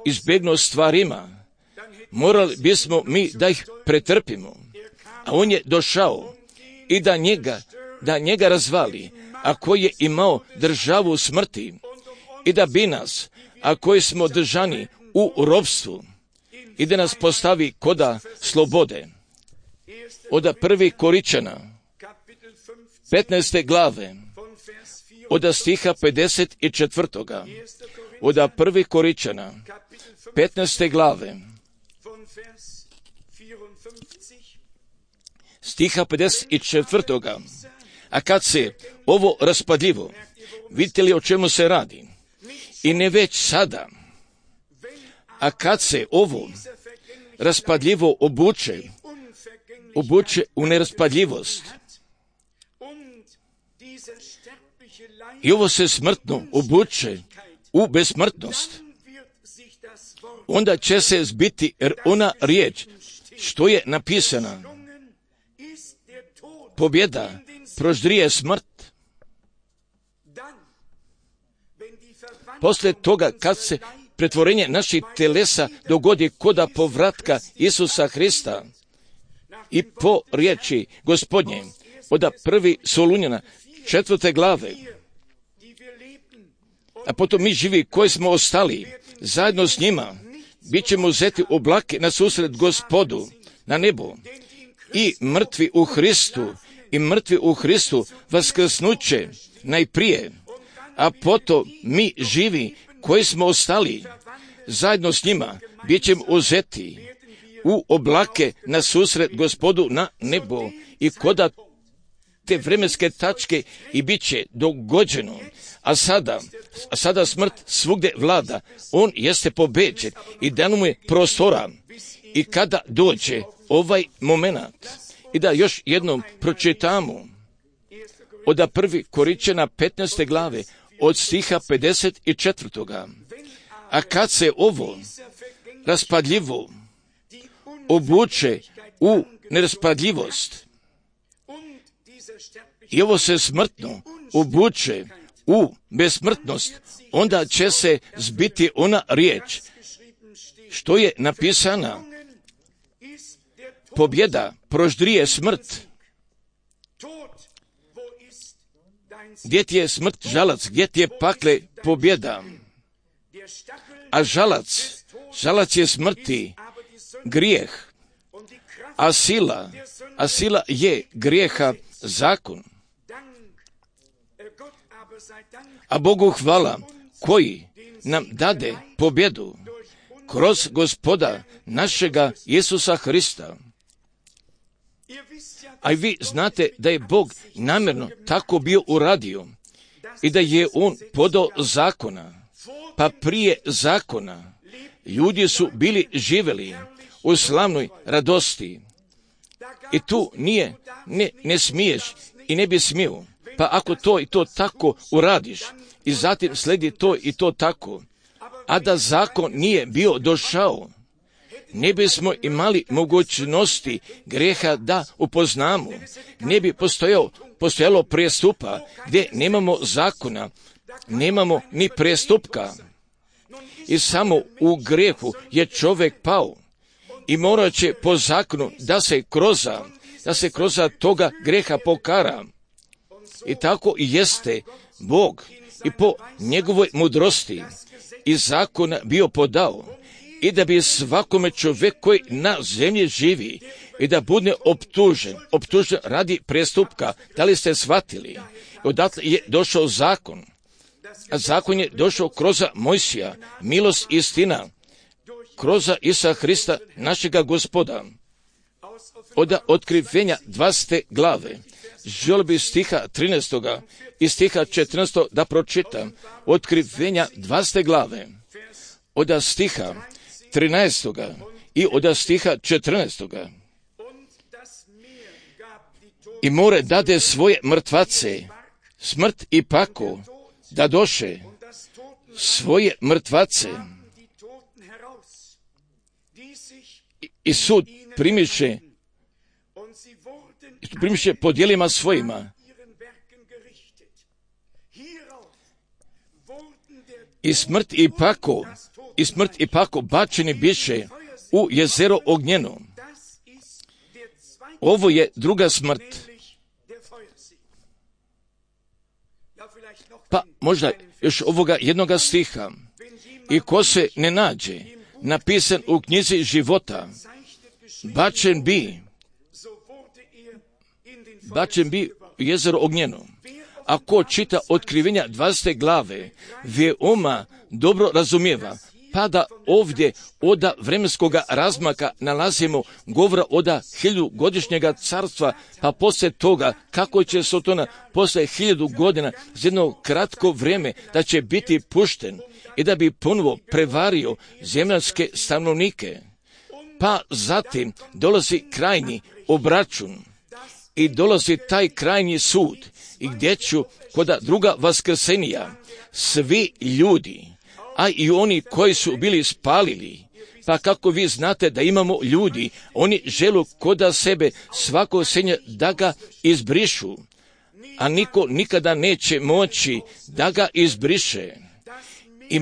izbjegnuo stvarima. Morali bismo mi da ih pretrpimo, a on je došao i da njega razvali, a koji je imao državu smrti i da bi nas, a koji smo držani u ropstvu, i da nas postavi koda slobode. Od 1. Koričana 15. glave od stiha 54. Od 1. Koričana 15. glave stiha 54. A kad se ovo raspadljivo, vidite li o čemu se radi? I ne već sada, a kad se ovo raspadljivo obuče u neraspadljivost, i ovo se smrtno obuče u besmrtnost, onda će se zbiti ona riječ što je napisana: pobjeda proždrije smrt. Posle toga, kad se pretvorenje naših telesa dogodi koda povratka Isusa Hrista i po riječi Gospodnje od 1. Solunjana 4. glave, a potom mi živi koji smo ostali zajedno s njima, bit ćemo uzeti u oblake na susret Gospodu na nebo, i mrtvi u Hristu vaskrsnuće najprije, a potom mi živi koji smo ostali zajedno s njima bit ćemo uzeti u oblake na susret Gospodu na nebo, i koda te vremenske tačke i bit će dogođeno. A sada smrt svugdje vlada, on jeste pobeđen i dano mu je prostora. I kada dođe ovaj moment, i da još jednom pročitamo od 1. Korinčana 15. glave, od stiha 54. A kad se ovo raspadljivo obuče u neraspadljivost i ovo se smrtno obuče u besmrtnost, onda će se zbiti ona riječ što je napisana: pobjeda proždrije smrt. Gdje ti je smrt žalac, gdje ti je pakle pobjeda? A žalac je smrti grijeh, a sila je grijeha zakon. A Bogu hvala koji nam dade pobjedu kroz Gospoda našega Isusa Hrista. A i vi znate da je Bog namjerno tako bio uradio i da je On podao zakona. Pa prije zakona ljudi su bili živjeli u slavnoj radosti. I tu ne smiješ i ne bi smio. Pa ako to i to tako uradiš i zatim sledi to i to tako, a da zakon nije bio došao, ne bismo imali mogućnosti grijeha da upoznamo. Ne bi postojalo prijestupa gdje nemamo zakona, nemamo ni prijestupka. I samo u grijehu je čovjek pao i morat će po zakonu da se kroza toga grijeha pokara. I tako i jeste Bog i po njegovoj mudrosti i zakona bio podao, i da bi svakome čovjek koji na zemlji živi i da bude optužen radi prestupka. Da li ste shvatili? Odatle je došao zakon, a zakon je došao kroz Mojsija, milost i istina, kroz Isusa Hrista, našega Gospoda. Od otkrivenja 20. glave, želio bi stiha 13. i stiha 14. da pročitam. Otkrivenja 20. glave, od stiha 13. i od stiha 14. I more dade svoje mrtvace, smrt i pako, da doše svoje mrtvace. I sud primiše po djelima svojima. I smrt i pako bačeni biše u jezero ognjeno. Ovo je druga smrt. Pa možda još ovoga jednoga stiha. I ko se ne nađe napisan u knjizi života, bačen bi u jezero ognjeno. Ako čita otkrivenja 20. glave, veoma dobro razumijeva, pa da ovdje od vremenskoga razmaka nalazimo govora od 1000-godišnjega carstva, pa poslije toga kako će Sotona poslije 1000 godina za jedno kratko vrijeme da će biti pušten i da bi ponovo prevario zemljanske stanovnike. Pa zatim dolazi krajnji obračun i dolazi taj krajnji sud, i gdje ću kod druga vaskrsenija svi ljudi, a i oni koji su bili spalili. Pa kako vi znate da imamo ljudi, oni žele koda sebe svako senja da ga izbrišu, a niko nikada neće moći da ga izbriše. I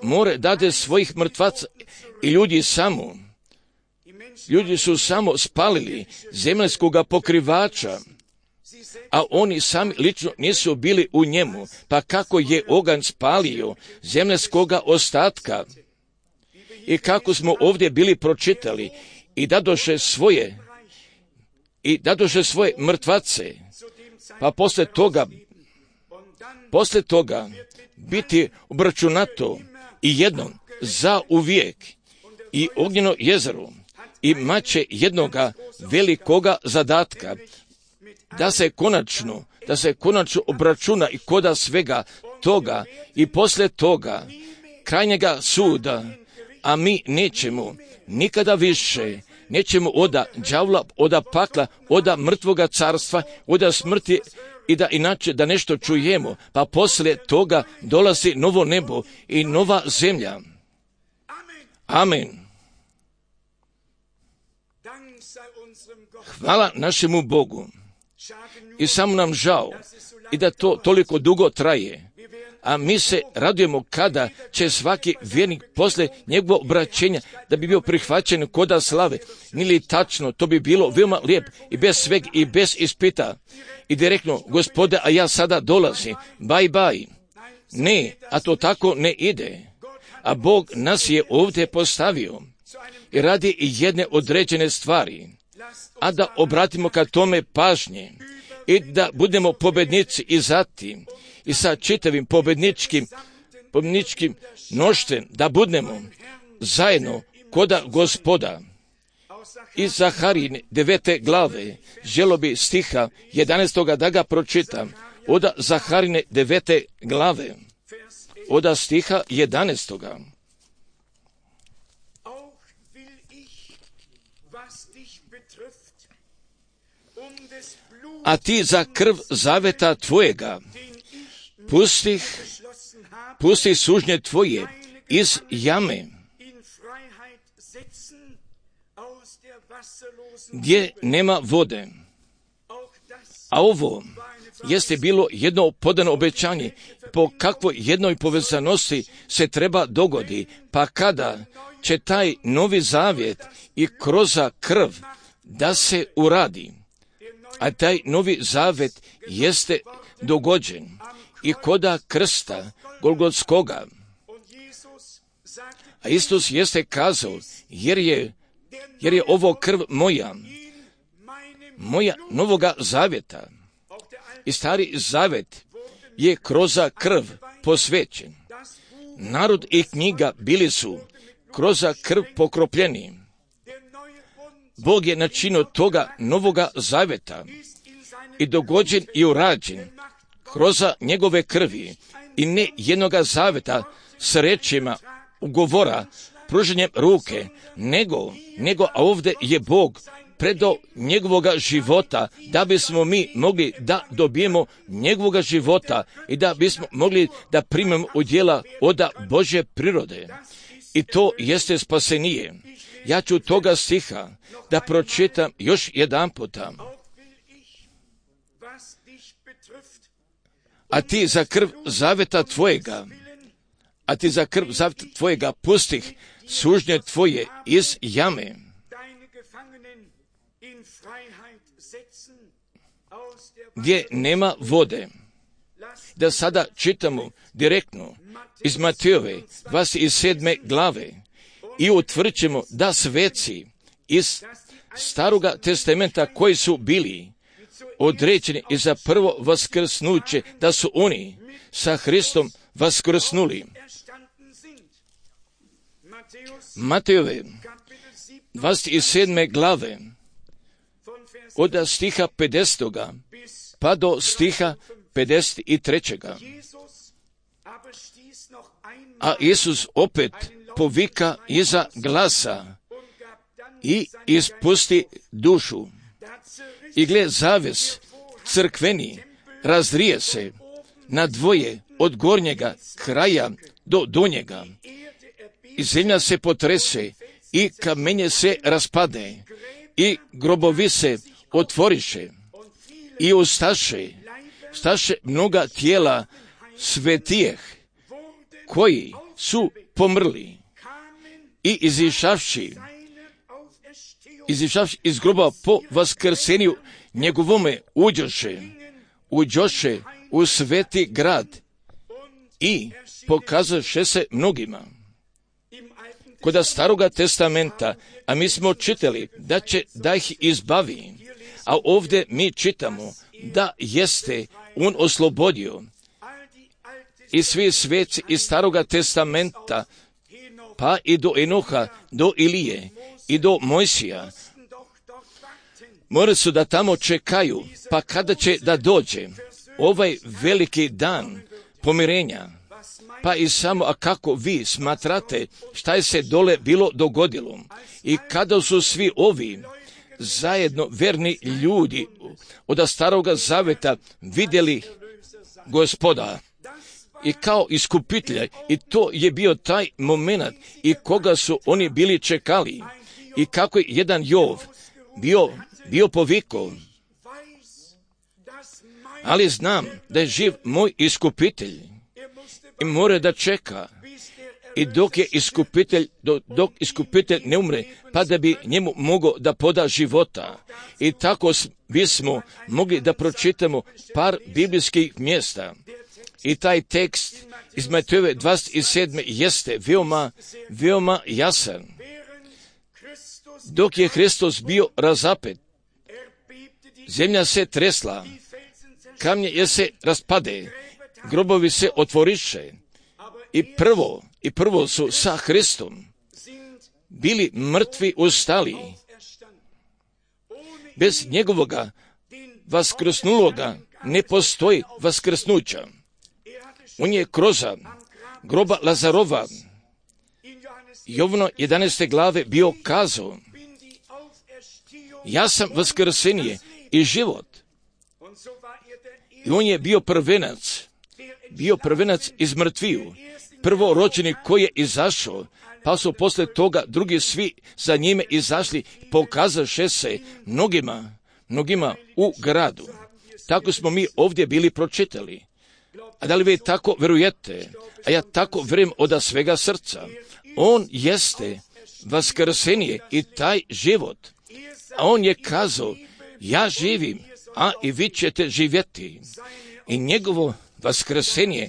more dade svojih mrtvaca i ljudi su samo spalili zemaljskoga pokrivača, a oni sami lično nisu bili u njemu. Pa kako je oganj spalio zemaljskoga ostatka, i kako smo ovdje bili pročitali, i dadoše svoje mrtvace, pa posle toga biti obračunato i jednom za uvijek i ognjeno jezero, i maće jednoga velikoga zadatka, da se konačno obračuna i koda svega toga i posle toga krajnjega suda, a mi nećemo nikada više, nećemo oda đavla, oda pakla, oda mrtvoga carstva, oda smrti i da inače da nešto čujemo, pa poslije toga dolazi novo nebo i nova zemlja. Amen. Hvala našemu Bogu. I samo nam žao i da to toliko dugo traje. A mi se radujemo kada će svaki vjernik posle njegovog obraćenja da bi bio prihvaćen koda slave. Nili tačno, to bi bilo veoma lijep i bez sveg i bez ispita. I direktno, Gospode, a ja sada dolazim, bye bye. Ne, a to tako ne ide. A Bog nas je ovdje postavio i radi i jedne određene stvari. A da obratimo ka tome pažnje i da budemo pobednici i zatim i sa čitavim pobedničkim mnoštvom da budemo zajedno koda Gospoda. Iz Zaharijine 9. glave želo bi stiha 11. da ga pročitam. Oda Zaharijine 9. glave, oda stiha 11. A ti za krv zaveta tvojega pusti sužnje tvoje iz jame, gdje nema vode. A ovo jeste bilo jedno podano obećanje, po kakvoj jednoj povezanosti se treba dogodi, pa kada će taj novi zavjet i kroz krv da se uradi. A taj novi zavet jeste dogođen i koda krsta Golgotskoga. A Isus jeste kazao, jer je ovo krv moja novoga zavjeta. I stari zavet je kroz krv posvećen. Narod i knjiga bili su kroz krv pokropljeni. Bog je načinio toga novoga zaveta i dogođen i urađen kroz njegove krvi i ne jednoga zaveta s rečima ugovora, pruženjem ruke, nego a ovdje je Bog predao njegovoga života da bismo mi mogli da dobijemo njegovoga života i da bismo mogli da primemo udjela od Božje prirode. I to jeste spasenije. Ja ću toga stiha da pročitam još jedan puta. A ti za krv zaveta tvojega pustih sužnje tvoje iz jame. Gdje nema vode. Da sada čitamo direktno iz Matejove 27. glave i utvrđujemo da sveci iz Staroga testamenta koji su bili određeni i za prvo vaskrsnuće, da su oni sa Hristom vaskrsnuli. Matejove 27. glave od stiha 50. pa do stiha 53. A Isus opet povika iza glasa i ispusti dušu. I gle, zaves crkveni razrije se na dvoje od gornjega kraja do donjega. I zemlja se potrese i kamenje se raspade i grobovi se otvoriše i ustaše mnoga tijela svetijeh koji su pomrli i izišavši iz groba po vaskrsenju njegovome uđoše u sveti grad i pokazaše se mnogima. Kod Staroga testamenta, a mi smo čitali da ih izbavi, a ovdje mi čitamo da jeste on oslobodio. I svi sveci iz Staroga testamenta, pa i do Enoha, do Ilije i do Mojsija, morali su da tamo čekaju, pa kada će da dođe ovaj veliki dan pomirenja, pa i samo, a kako vi smatrate šta je se dole bilo dogodilo i kada su svi ovi zajedno verni ljudi od staroga zaveta vidjeli Gospoda i kao iskupitelja, i to je bio taj moment i koga su oni bili čekali i kako je jedan Jov bio povikao, ali znam da je živ moj iskupitelj i mora da čeka i dok iskupitelj ne umre, pa da bi njemu mogao da poda života. I tako bismo mogli da pročitamo par biblijskih mjesta. I taj tekst iz Matejove 27. jeste veoma jasan. Dok je Hristos bio razapet, zemlja se tresla, kamnje je se raspade, grobovi se otvoriše i prvo su sa Hristom bili mrtvi ustali. Bez njegovoga vaskrsnuloga ne postoji vaskrsnuća. On je kroz groba Lazarova Jovno 11. glave bio kazao: ja sam vaskrsenje i život. I on je bio prvenac iz mrtviju, prvorođeni koji je izašao, pa su posle toga drugi svi za njime izašli, pokazaše se mnogima u gradu. Tako smo mi ovdje bili pročitali. A da li vi tako verujete? A ja tako vjerujem od svega srca. On jeste vaskrsenje i taj život. A on je kazao: ja živim, a i vi ćete živjeti. I njegovo vaskrsenje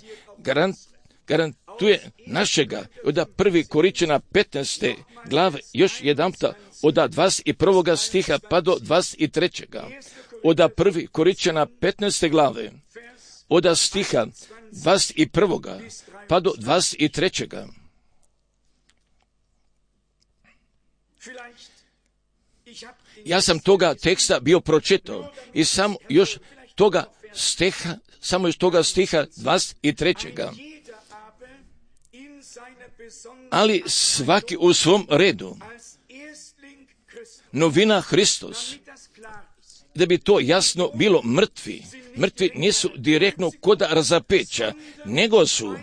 garantuje našega. Od 1. Korinćana 15. glave, još jedanputa, od 21. stiha pa do 23. Od 1. Korinćana 15. glave, od stiha 21. pa do 23. Ja sam toga teksta bio pročitao i samo još toga stiha 23. Ali svaki u svom redu. Novina Hristos. Da bi to jasno bilo, mrtvi nisu direktno koda razapeća, nego su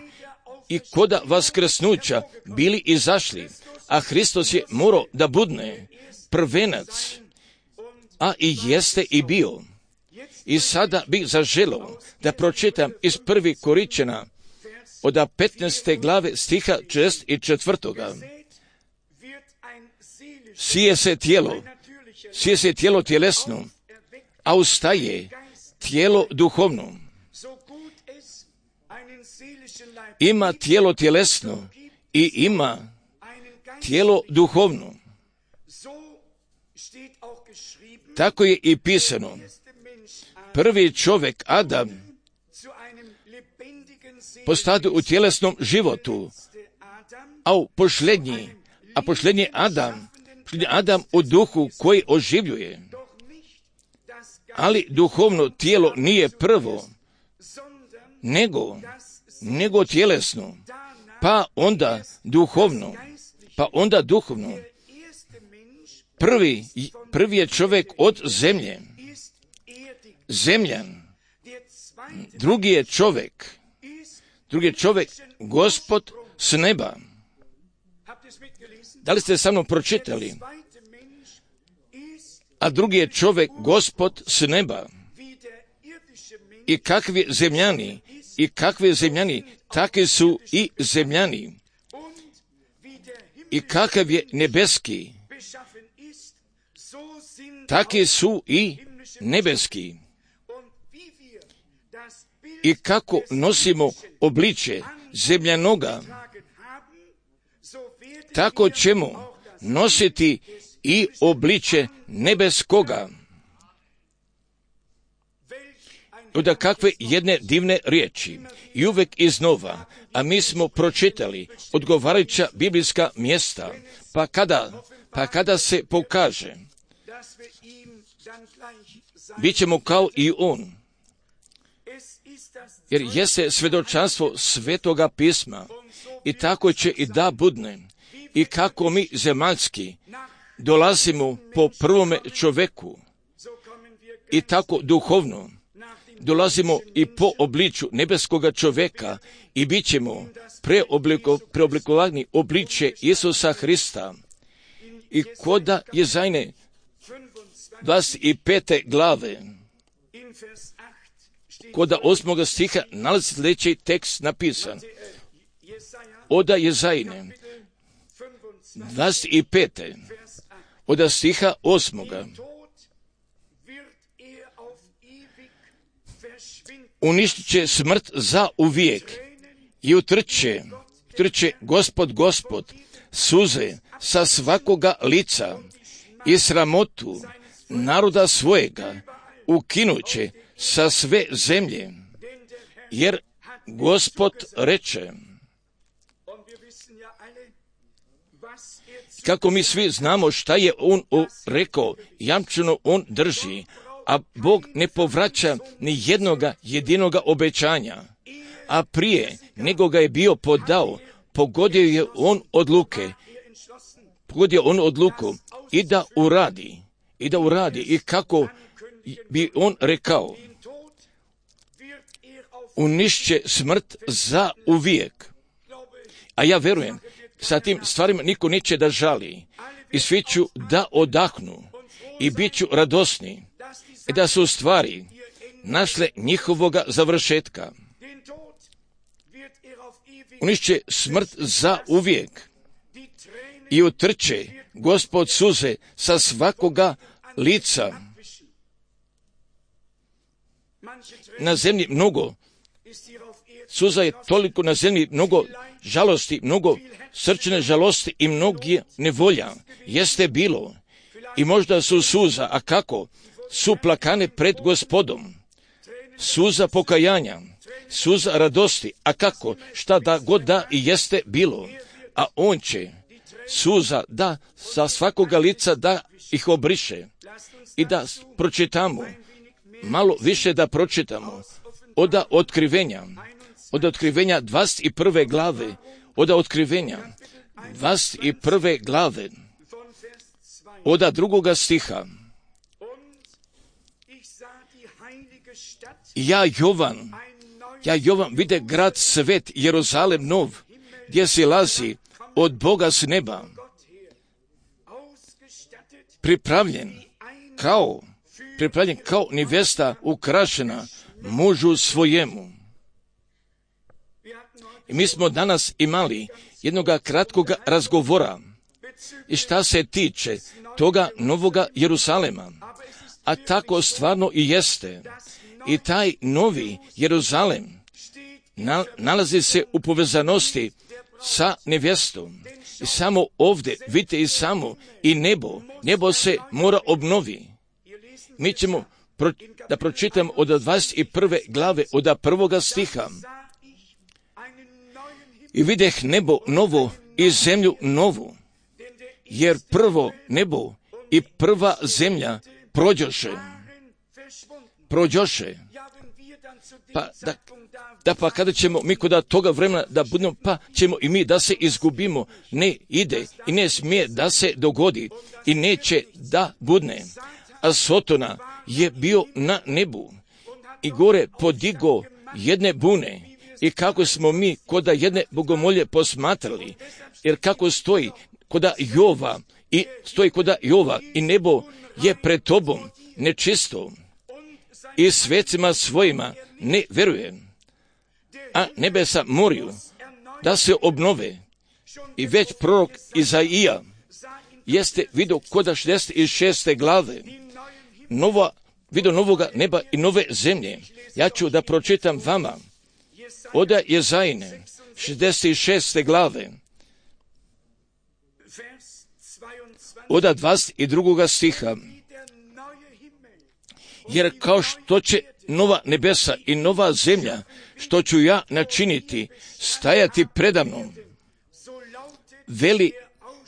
i koda vaskrsnuća bili izašli, a Hristos je morao da budne prvenac, a i jeste i bio. I sada bih zaželao da pročitam iz 1. Korinćana od 15. glave stiha 64. Sije se tijelo tjelesno, a ustaje tijelo duhovno. Ima tijelo tjelesno i ima tijelo duhovno. Tako je i pisano. Prvi čovjek, Adam, postade u tjelesnom životu, a posljednji Adam u duhu koji oživljuje. Ali duhovno tijelo nije prvo, nego tjelesno, pa onda duhovno. Prvi je čovjek od zemlje, zemljan. Drugi je čovjek Gospod s neba. Da li ste sa mnom pročitali? A drugi je čovjek Gospod s neba. I kakvi zemljani, takvi su i zemljani. I kakav je nebeski, takvi su i nebeski. I kako nosimo obličje zemljanoga, tako ćemo nositi i obličje nebeskoga. Od kakve jedne divne riječi. I uvek iznova, a mi smo pročitali odgovarajuća biblijska mjesta, pa kada se pokaže, bit ćemo kao i on. Jer jeste svjedočanstvo Svetoga pisma i tako će i da budne. I kako mi zemaljski dolazimo po prvome čoveku i tako duhovno dolazimo i po obliču nebeskoga čoveka i bit ćemo preoblikovani obliče Isusa Hrista. I koda Jezajne 25. glave, koda 8. stiha nalazi sljedeći tekst napisan. Oda Jezajne 25. oda stiha 8. Uništit će smrt za uvijek i utrče Gospod suze sa svakoga lica i sramotu naroda svojega ukinuće sa sve zemlje, jer Gospod reče. Kako mi svi znamo šta je on rekao, jamčeno on drži, a Bog ne povraća ni jednoga jedinoga obećanja. A prije nego ga je bio podao, pogodio on odluku i da uradi i kako bi on rekao, unišće smrt za uvijek. A ja verujem, sa tim stvarima niko neće da žali i svi ću da odahnu i bit ću radosni i da su stvari našle njihovoga završetka. Unišće smrt za uvijek i utrče Gospod suze sa svakoga lica. Na zemlji mnogo suza je toliko na zemlji, mnogo žalosti, mnogo srčane žalosti i mnogi nevolja jeste bilo. I možda su suza, a kako? Su plakane pred Gospodom. Suza pokajanja, suza radosti, a kako? Šta da god da i jeste bilo. A on će suza da sa svakoga lica da ih obriše. I da pročitamo, malo više da pročitamo od otkrivenja 21. glave, od otkrivenja 21. glave, od 2. stiha. Ja Jovan vide grad svet Jeruzalem nov, gdje silazi od Boga s neba, pripravljen kao nevesta ukrašena mužu svojemu. I mi smo danas imali jednoga kratkoga razgovora i šta se tiče toga novoga Jeruzalema. A tako stvarno i jeste. I taj novi Jeruzalem nalazi se u povezanosti sa nevjestom. I samo ovdje, vidite i samo, i nebo se mora obnovi. Mi ćemo da pročitamo od 21. glave, od 1. stiha. I videh nebo novo i zemlju novu, jer prvo nebo i prva zemlja prođoše. Pa kada ćemo mi kod toga vremena da budemo, pa ćemo i mi da se izgubimo. Ne ide i ne smije da se dogodi i neće da budne. A Sotona je bio na nebu i gore podigo jedne bune. I kako smo mi koda jedne bogomolje posmatrali, jer kako stoji koda Jova i nebo je pred tobom nečisto i svecima svojima ne veruje, a nebesa moraju da se obnove. I već prorok Izaija jeste vidio koda 66. glave vidio novoga neba i nove zemlje. Ja ću da pročitam vama od Jezajne 66. glave od 22. stiha. Jer kao što će nova nebesa i nova zemlja, što ću ja načiniti, stajati predamnom,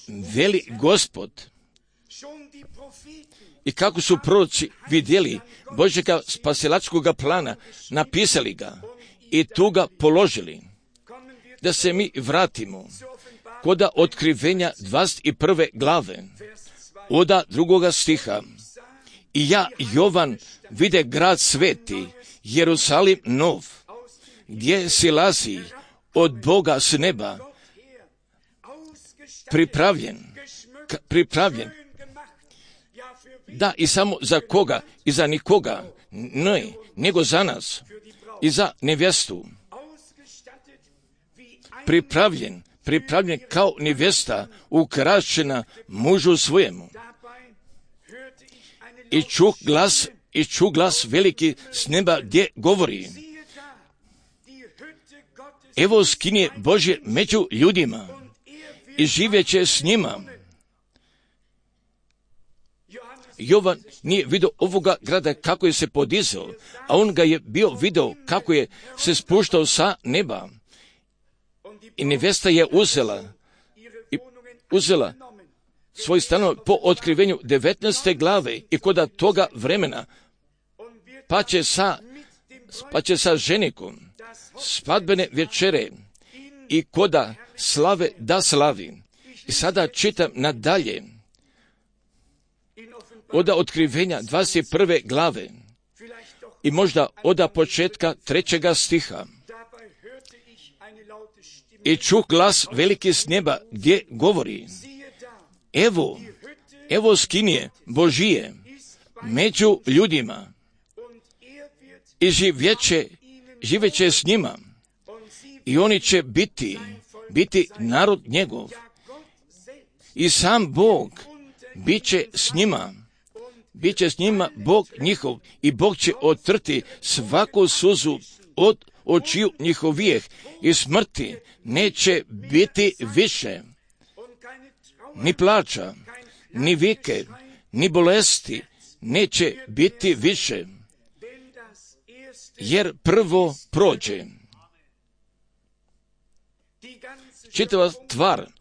veli Gospod. I kako su proroci vidjeli Božjega spasilačkoga plana, napisali ga i tu ga položili. Da se mi vratimo koda otkrivenja 21. glave Oda 2. stiha. I ja, Jovan, vide grad sveti, Jerusalim nov, gdje silazi od Boga s neba, pripravljen. Da, i samo za koga? I za nikoga. Ne, nego za nas. I za nevjestu. Pripravljen kao nevjesta, ukrašena mužu svojemu. I ču glas veliki s neba gdje govori: evo skinje Božje među ljudima i živjeće s njima. Jovan nije vidio ovoga grada kako je se podizao, a on ga je bio vidio kako je se spuštao sa neba. I nevjesta je uzela svoj stanov po otkrivenju 19. glave i koda toga vremena pa će sa ženikom svadbene večere i koda slave da slavi. I sada čitam nadalje od otkrivenja 21. glave i možda od početka 3. stiha. I čuh glas veliki s neba gdje govori: evo skinje Božije među ljudima i živjeće s njima i oni će biti narod njegov i sam Bog bit će s njima Bog njihov i Bog će otrti svaku suzu od očiju njihovijeh i smrti neće biti više, ni plača, ni vike, ni bolesti neće biti više, jer prvo prođe.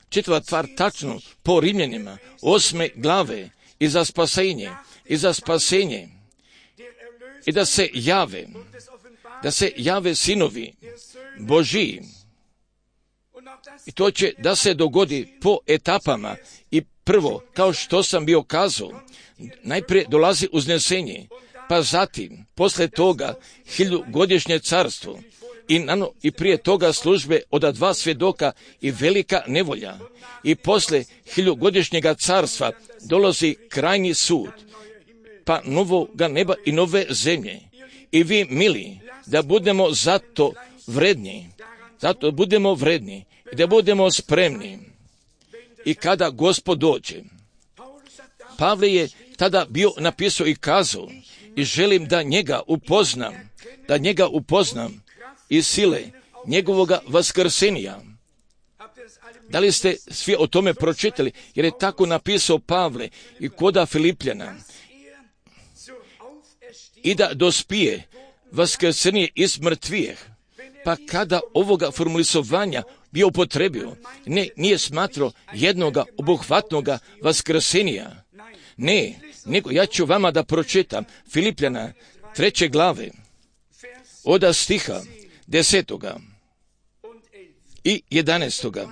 Čitava tvar tačno po Rimljanima 8. glave i za spasenje i da se jave sinovi Božiji. I to će da se dogodi po etapama. I prvo, kao što sam bio kazao, najprije dolazi uznesenje, pa zatim, posle toga, 1000-godišnje carstvo i prije toga službe od 2 svjedoka i velika nevolja. I posle 1000-godišnjega carstva dolazi krajnji sud, pa novoga neba i nove zemlje. I vi, mili, da budemo zato vredni i da budemo spremni. I kada Gospod dođe, Pavle je tada bio napisao i kazao: i želim da njega upoznam iz sile njegovoga vaskrsenja. Da li ste svi o tome pročitali? Jer je tako napisao Pavle i koda Filipljana. I da dospije vaskrsenje iz mrtvijeh. Pa kada ovoga formulisovanja bio upotrebio, nije smatrao jednoga obuhvatnoga vaskrsenja. Ne, nego ja ću vama da pročitam Filipljana 3. glave od stiha 10. i 11.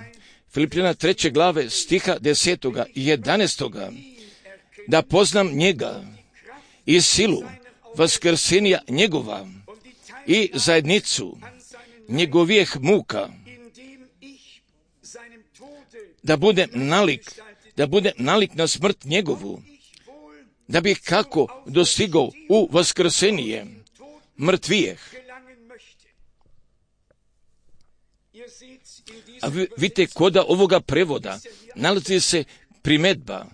Filipljana 3. glave stiha 10. i 11. Da poznam njega i silu vaskrsenja njegova i zajednicu njegovijeh muka, da budem nalik na smrt njegovu, da bih kako dostigao u vaskrsenje mrtvijeh. A vidite, koda ovoga prevoda nalazi se primedba.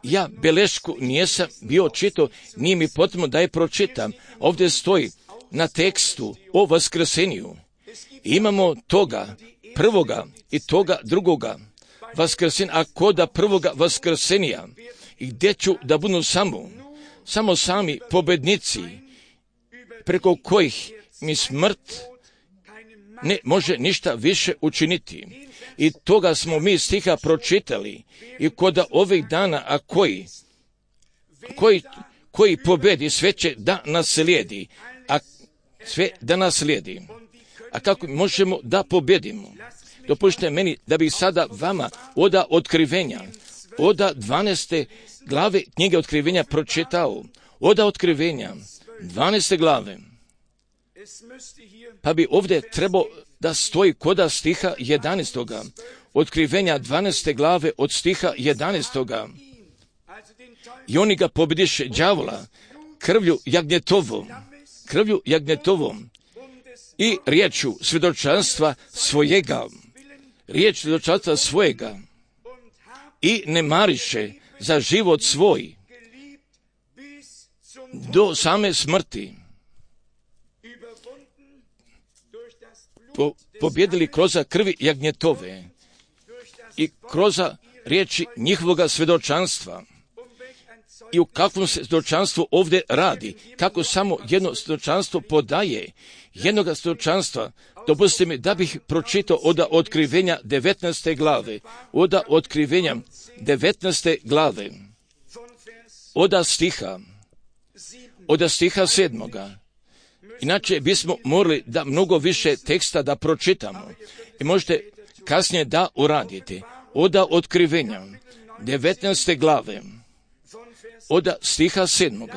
Ja belešku nisam bio čitao, nije mi potrebno da je pročitam. Ovdje stoji na tekstu o vaskrsenju. Imamo toga prvoga i toga drugoga vaskrsenja, a koda prvoga vaskrsenja, i gdje ću da budu samo sami pobednici, preko kojih mi smrt ne može ništa više učiniti. I toga smo mi stiha pročitali. I koda ovih dana, a koji pobedi, sve će da nas slijedi. A kako možemo da pobedimo? Dopustite meni da bih sada vama od otkrivenja oda 12. glave knjige Otkrivenja pročitao. Oda Otkrivenja 12. glave. Pa bi ovdje trebao da stoji koda stiha 11. Otkrivenja 12. glave od stiha 11. I oni ga pobjediše đavola krvlju jagnjetovom i riječu svjedočanstva svojega i ne mariše za život svoj do same smrti. Pobjedili kroz krvi jagnjetove i kroz riječi njihovoga svjedočanstva. I u kakvom se svjedočanstvu ovdje radi, kako samo jedno svjedočanstvo podaje jednoga svjedočanstva. Dopustite mi da bih pročitao od Otkrivenja 19. glave, od Otkrivenja 19. glave, od stiha 7. Inače bismo morali da mnogo više teksta da pročitamo i možete kasnije da uradite. Od Otkrivenja 19. glave, od stiha 7.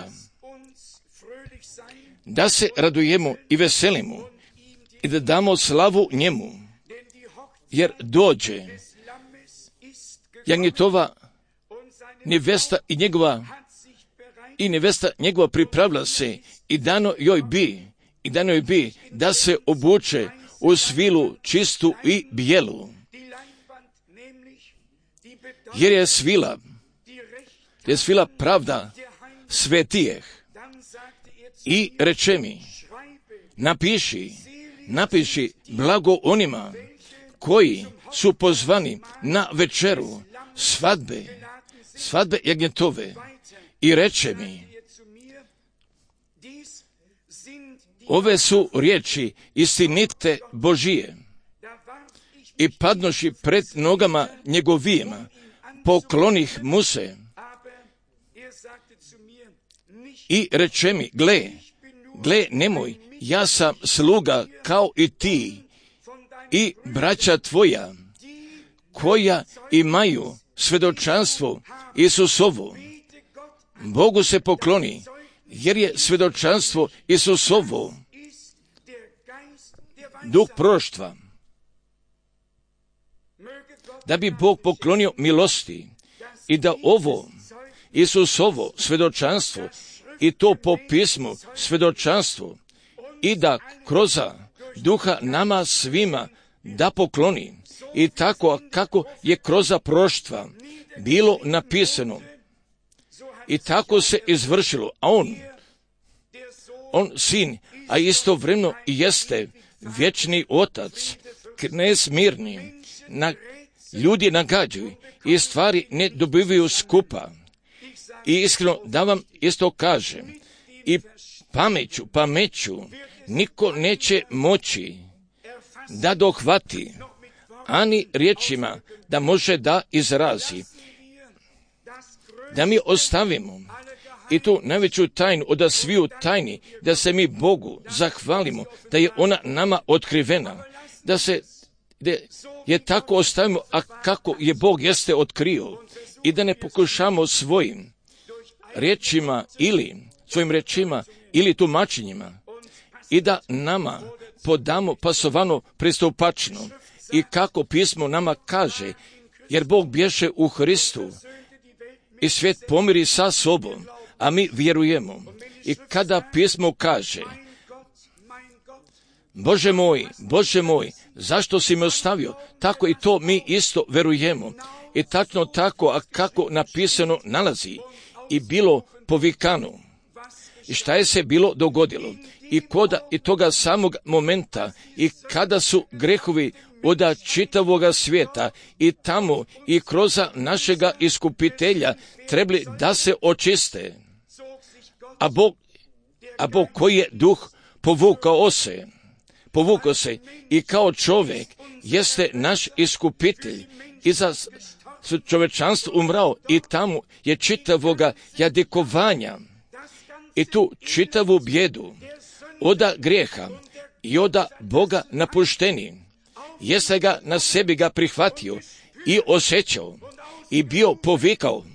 Da se radujemo i veselimo i da damo slavu njemu, jer dođe jagnjetova nevesta i nevesta njegova pripravila se i dano joj bi da se obuče u svilu čistu i bijelu, jer je svila pravda svetijeh. I reče mi, napiši blago onima koji su pozvani na večeru svadbe jagnjetove. I reče mi, ove su riječi istinite Božije. I padnoši pred nogama njegovijima, poklonih mu se. I reče mi, gle, nemoj, ja sam sluga kao i ti i braća tvoja, koja imaju svjedočanstvo Isusovo. Bogu se pokloni, jer je svjedočanstvo Isusovo duh proroštva. Da bi Bog poklonio milosti i da ovo Isusovo svjedočanstvo i to po pismu svjedočanstvo i da kroz duha nama svima da pokloni i tako kako je kroz proroštva bilo napisano i tako se izvršilo. A on sin, a istovremeno i jeste vječni otac, knez mirni, ljudi nagađaju i stvari ne dobivaju skupa. I iskreno da vam isto kažem, i pameću niko neće moći da dohvati, ani riječima da može da izrazi. Da mi ostavimo i tu najveću tajnu od sviju tajni, da se mi Bogu zahvalimo, da je ona nama otkrivena, da je tako ostavimo, a kako je Bog jeste otkrio, i da ne pokušamo svojim riječima ili tumačenjima i da nama podamo pasovano pristupačno i kako pismo nama kaže, jer Bog bješe u Hristu i svijet pomiri sa sobom, a mi vjerujemo. I kada pismo kaže, Bože moj, zašto si me ostavio? Tako i to mi isto verujemo. I tačno tako, a kako napisano nalazi i bilo povikano. I šta je se bilo dogodilo? I toga samog momenta i kada su grehovi od čitavoga svijeta i tamo i kroz našega iskupitelja trebali da se očiste. A Bog koji je duh povukao se i kao čovjek jeste naš iskupitelj i za čovečanstvo umrao i tamo je čitavoga jadikovanja i tu čitavu bjedu oda grijeha i oda Boga napušteni jeste ga na sebi ga prihvatio i osjećao i bio povikao: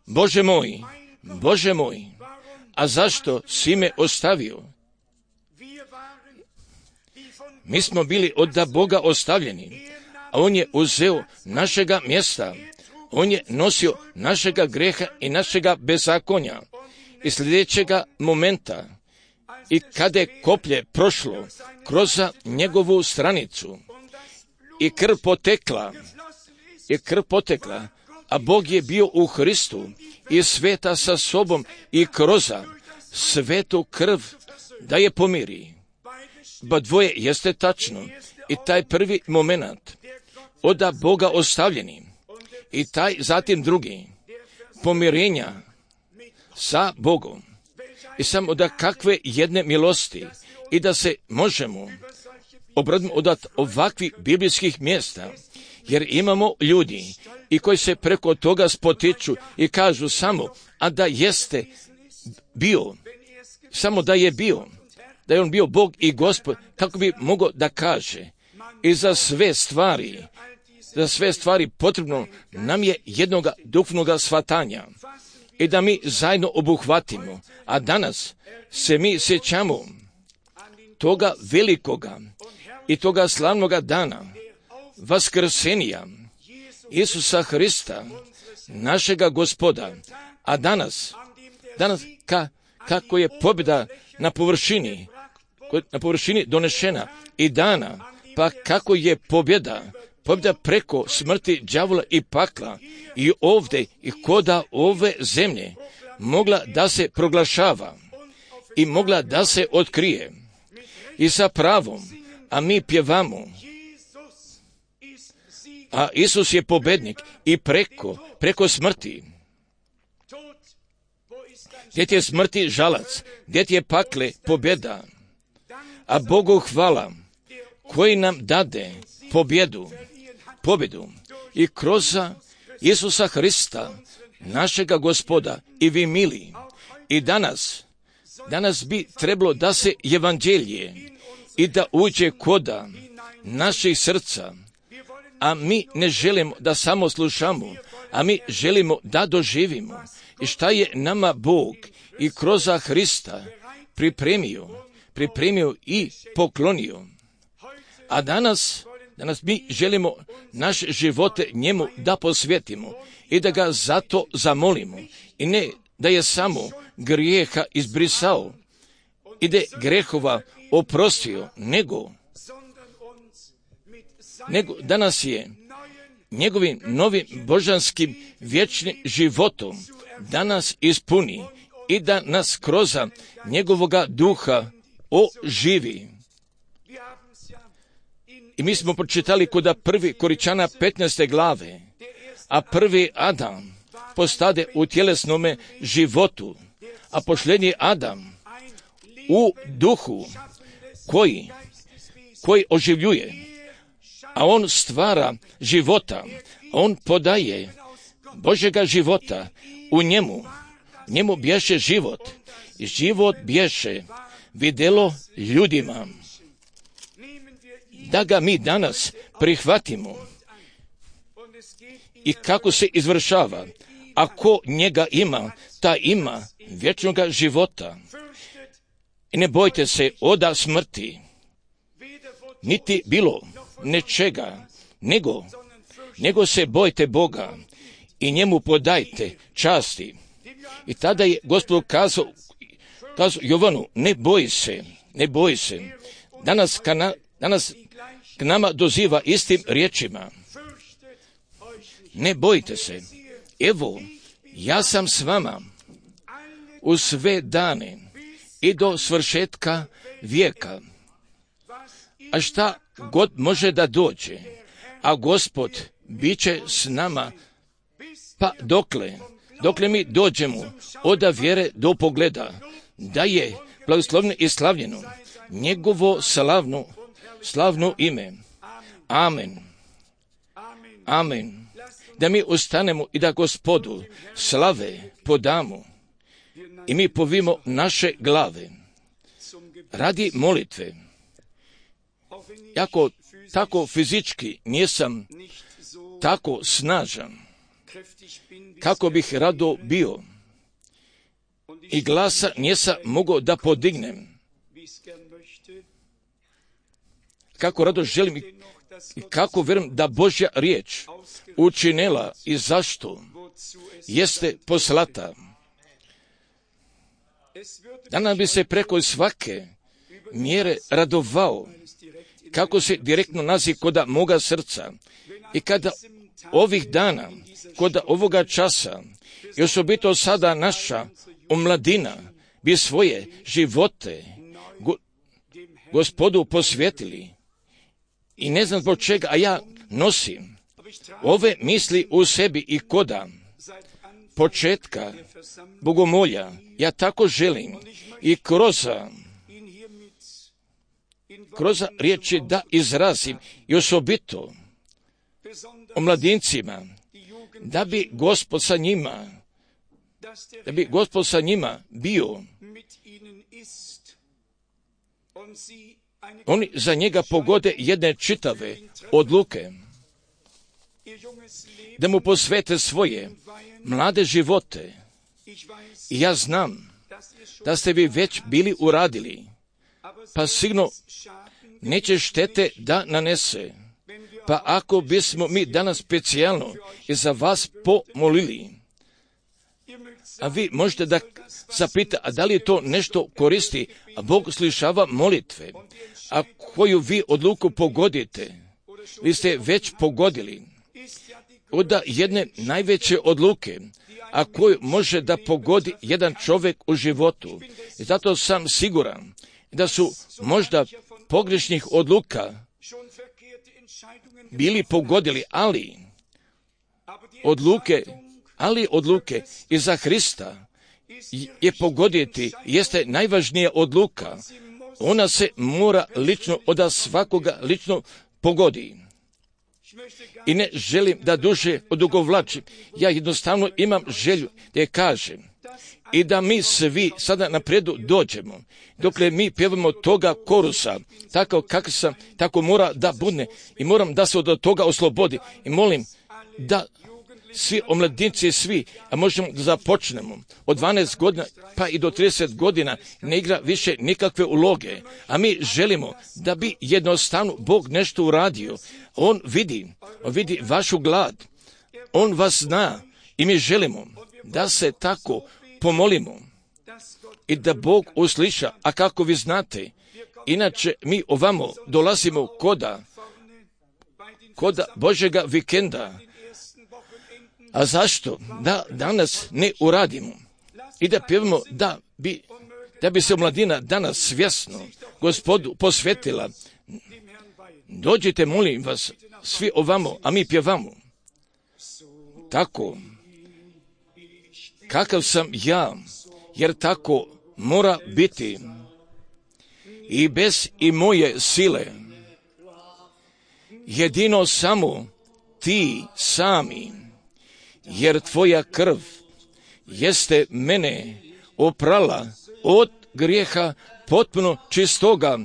Bože moj, a zašto si me ostavio? Mi smo bili od Boga ostavljeni, a On je uzeo našega mjesta. On je nosio našega greha i našega bezakonja. I sljedećega momenta, i kada je koplje prošlo kroz njegovu stranicu i krv potekla, a Bog je bio u Hristu i sveta sa sobom i kroz svetu krv da je pomiri. Ba dvoje jeste tačno. I taj prvi moment od Boga ostavljeni i taj zatim drugi pomirenja sa Bogom. I samo da kakve jedne milosti i da se možemo obraditi od ovakvih biblijskih mjesta, jer imamo ljudi i koji se preko toga spotiču i kažu samo, a da jeste bio, samo da je bio, da je on bio Bog i Gospod, kako bi mogao da kaže. I za sve stvari potrebno nam je jednoga duhovnoga shvatanja i da mi zajedno obuhvatimo. A danas se mi sjećamo toga velikoga i toga slavnoga dana vaskrsenja Isusa Hrista, našega Gospoda. A danas kako je pobjeda na površini donešena i dana, pa kako je pobjeda preko smrti, đavola i pakla i ovdje i koda ove zemlje mogla da se proglašava i mogla da se otkrije i sa pravom, a mi pjevamo, a Isus je pobednik i preko smrti. Gdje ti je smrti žalac, gdje ti je pakle pobjeda, a Bogu hvala koji nam dade pobjedu i kroz Isusa Hrista, našega Gospoda. I vi mili, i danas bi trebalo da se evanđelje i da uđe koda naših srca, a mi ne želimo da samo slušamo, a mi želimo da doživimo i šta je nama Bog i kroz Hrista pripremio i poklonio. A danas mi želimo naše živote njemu da posvetimo i da ga zato zamolimo. I ne da je samo grijeha izbrisao i da je grehova oprostio, nego danas je njegovim novim božanskim vječnim životom da nas ispuni i da nas kroz njegovoga duha oživi. I mi smo pročitali kod 1. Koričana 15. glave, a prvi Adam postade u tjelesnome životu, a posljednji Adam u duhu koji oživljuje, a on stvara života, on podaje Božjega života u njemu bješe život i život bješe vidjelo ljudima. Da ga mi danas prihvatimo i kako se izvršava, ako njega ima, ta ima vječnoga života. I ne bojte se oda smrti, niti bilo nečega, nego se bojte Boga i njemu podajte časti. I tada je Gospod kazao Jovanu, ne boj se. Danas k nama doziva istim riječima. Ne bojte se, evo, ja sam s vama u sve dane i do svršetka vijeka. A šta god može da dođe, a Gospod bit će s nama, pa dokle mi dođemo od vjere do pogleda, da je blagoslovno i slavljeno njegovo slavno ime. Amen. Amen. Da mi ustanemo i da Gospodu slave podamo i mi povimo naše glave radi molitve. Jako tako fizički nisam tako snažan, kako bih rado bio, i glasa nisam mogao da podignem. Kako rado želim i kako vjerujem da Božja riječ učinila i zašto jeste poslata. Danas bi se preko svake mjere radovao, kako se direktno nazi koda moga srca. I kada ovih dana, koda ovoga časa, i osobito sada naša omladina bi svoje živote Gospodu posvetili. I ne znam zbog čega, a ja nosim ove misli u sebi i koda početka bogomolja. Ja tako želim i kroz riječi da izrazim i osobito o mladincima, da bi Gospod sa njima bio. Oni za njega pogode jedne čitave odluke, da mu posvete svoje mlade živote. I ja znam da ste vi već bili uradili, pa sigurno neće štete da nanese. Pa ako bismo mi danas specijalno i za vas pomolili, a vi možete da zapita, a da li je to nešto koristi, a Bog slišava molitve, a koju vi odluku pogodite, vi ste već pogodili od jedne najveće odluke, a koju može da pogodi jedan čovjek u životu. I zato sam siguran da su možda pogrešnih odluka bili pogodili, ali odluke iza Hrista je pogoditi jeste najvažnija odluka. Ona se mora lično od svakoga lično pogodi. I ne želim da duže odugovlačim. Ja jednostavno imam želju da je kažem i da mi svi sada napredu dođemo. Dokle mi pjevamo toga korusa, tako kako sam, tako mora da bude i moram da se od toga oslobodi. I molim da svi omladinci, svi, a možemo da započnemo od 12 godina pa i do 30 godina, ne igra više nikakve uloge, a mi želimo da bi jednostavno Bog nešto uradio. On vidi vašu glad, On vas zna i mi želimo da se tako pomolimo i da Bog usliša, a kako vi znate, inače mi ovamo dolazimo koda Božjega vikenda. A zašto? Da danas ne uradimo i da pjevamo da bi se mladina danas svjesno Gospodu posvetila. Dođite, molim vas, svi ovamo, a mi pjevamo. Tako, kakav sam ja, jer tako mora biti i bez i moje sile. Jedino samo ti sami, jer tvoja krv jeste mene oprala od grijeha potpuno čistoga.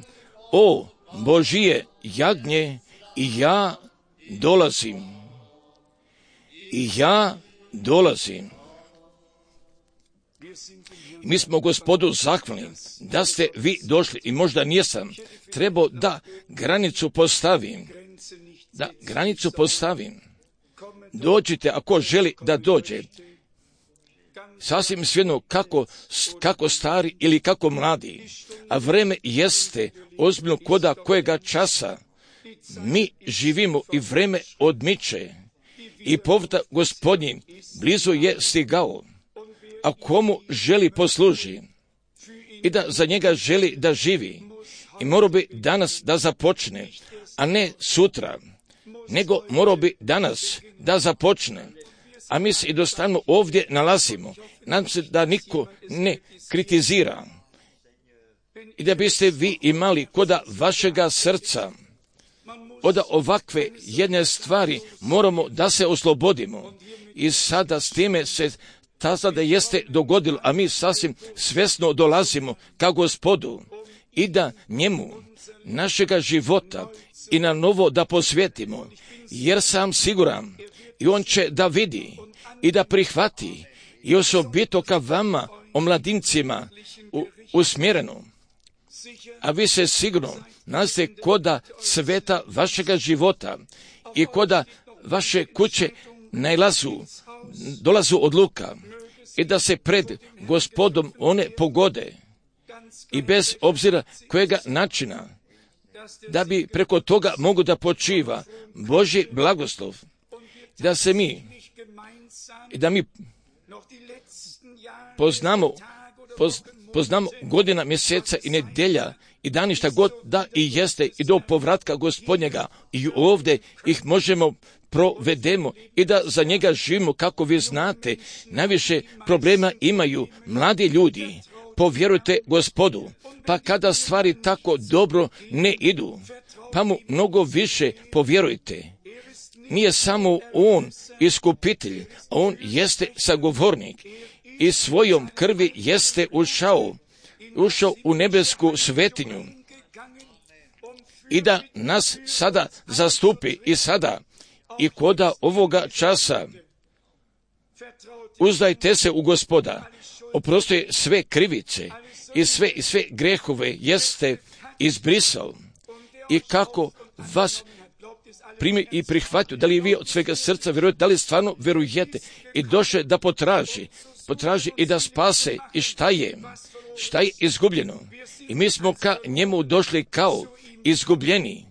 O Božije jagnje, i ja dolazim. Mi smo Gospodu zahvalni da ste vi došli i možda nisam trebao da granicu postavim. Dođite ako želi da dođe. Sasvim svejedno kako stari ili kako mladi, a vreme jeste ozbiljno koda kojega časa. Mi živimo i vreme odmiče i povratak Gospodnji blizu je stigao. A komu želi posluži i da za njega želi da živi, i morao bi danas da započne, a ne sutra, nego morao bi danas da započne. A mi se i dostavno ovdje nalazimo. Nadam se da niko ne kritizira i da biste vi imali koda vašega srca od ovakve jedne stvari moramo da se oslobodimo. I sada s time se ta sada jeste dogodilo, a mi sasvim svjesno dolazimo ka Gospodu i da njemu našega života i na novo da posvetimo, jer sam siguran i on će da vidi i da prihvati i osobito ka vama, omladincima, usmjereno. A vi se sigurno nalazite koda cveta vašega života i koda vaše kuće dolazu odluka i da se pred Gospodom one pogode i bez obzira kojega načina, da bi preko toga mogu da počiva Božji blagoslov, da mi poznamo godina, mjeseca i nedelja i dani šta god da i jeste i do povratka Gospodnjega i ovdje ih možemo provedemo i da za njega živimo. Kako vi znate, najviše problema imaju mladi ljudi. Povjerujte Gospodu, pa kada stvari tako dobro ne idu, pa mu mnogo više povjerujte. Nije samo on iskupitelj, on jeste sagovornik i svojom krvi jeste ušao u nebesku svetinju i da nas sada zastupi i sada i koda ovoga časa. Uzdajte se u Gospoda, oprosti sve krivice i sve grehove jeste izbrisao i kako vas primi i prihvatio, da li vi od svega srca vjerujete, da li stvarno vjerujete i došle da potraži i da spase i šta je izgubljeno. I mi smo ka njemu došli kao izgubljeni,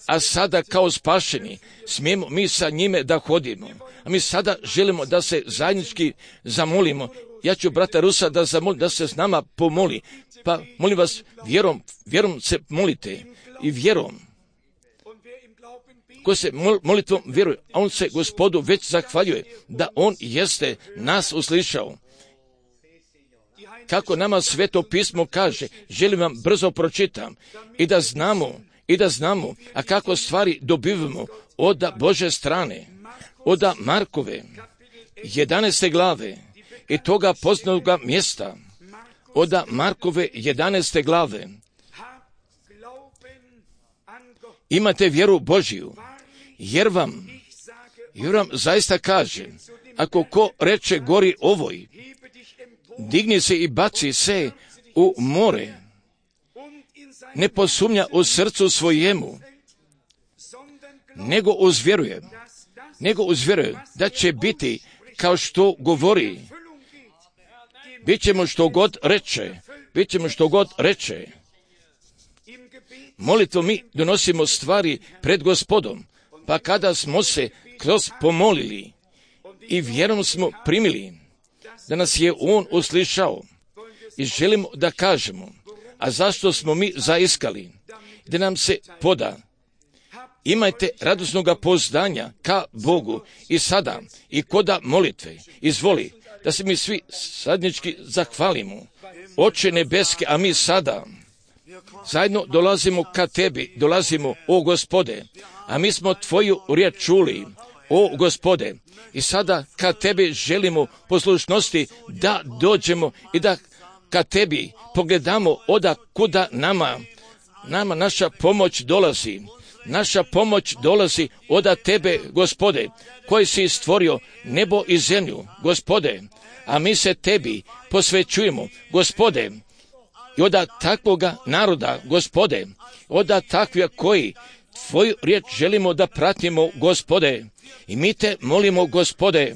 a sada kao spašeni smijemo mi sa njime da hodimo. A mi sada želimo da se zajednički zamolimo. Ja ću brata Rusa da zamolim da se s nama pomoli. Pa molim vas, vjerom se molite i vjerom. Ko se molitvom vjeruje, a on se Gospodu već zahvaljuje da on jeste nas uslišao. Kako nama Sveto pismo kaže, želim vam brzo pročitam i da znamo, a kako stvari dobivamo od Bože strane, od Markove 11. glave i toga poznatoga mjesta, od Markove 11. glave. Imate vjeru Božiju, jer vam zaista kaže, ako ko reče gori ovoj, digni se i baci se u more, ne posumnja u srcu svojemu, nego uzvjeruje da će biti kao što govori. Bićemo što god reče. Molitvom mi donosimo stvari pred Gospodom, pa kada smo se kroz pomolili i vjerom smo primili da nas je on uslišao i želimo da kažemo, a zašto smo mi zaiskali, da nam se poda. Imajte radosnoga pouzdanja ka Bogu i sada i koda molitve. Izvoli da se mi svi sadnički zahvalimo. Oče nebeski, a mi sada zajedno dolazimo ka tebi, o Gospode, a mi smo tvoju riječ čuli, o Gospode, i sada ka tebi želimo poslušnosti da dođemo i da ka tebi pogledamo oda kuda nama naša pomoć dolazi. Naša pomoć dolazi oda tebe, Gospode, koji si stvorio nebo i zemlju, Gospode, a mi se tebi posvećujemo, Gospode, i oda takvoga naroda, Gospode, oda takvija koji tvoju riječ želimo da pratimo, Gospode, i mi te molimo, Gospode,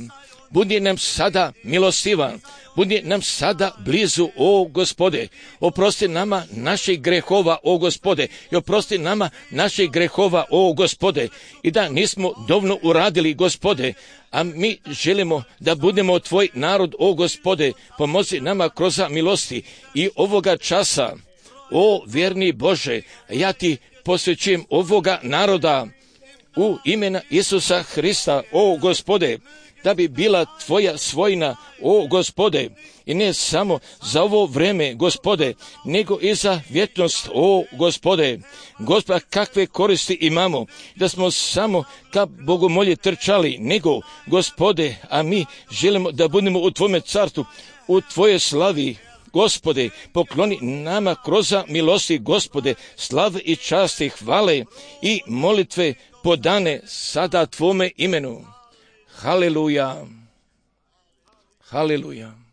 budi nam sada milostivan, budi nam sada blizu, o Gospode, oprosti nama naših grehova, o Gospode, i oprosti nama naših grehova, o Gospode, i da nismo dovoljno uradili, Gospode, a mi želimo da budemo tvoj narod, o Gospode, pomozi nama kroz milosti i ovoga časa, o vjerni Bože, ja ti posvećujem ovoga naroda u imena Isusa Hrista, o Gospode, da bi bila tvoja svojina, o Gospode, i ne samo za ovo vreme, Gospode, nego i za vječnost, o Gospode. Gospoda, kakve koristi imamo, da smo samo ka bogomolje trčali, nego, Gospode, a mi želimo da budemo u tvome carstvu, u tvoje slavi, Gospode, pokloni nama kroz milosti, Gospode, slav i čast i hvale i molitve podane sada Tvome imenu. Haleluja. Haleluja.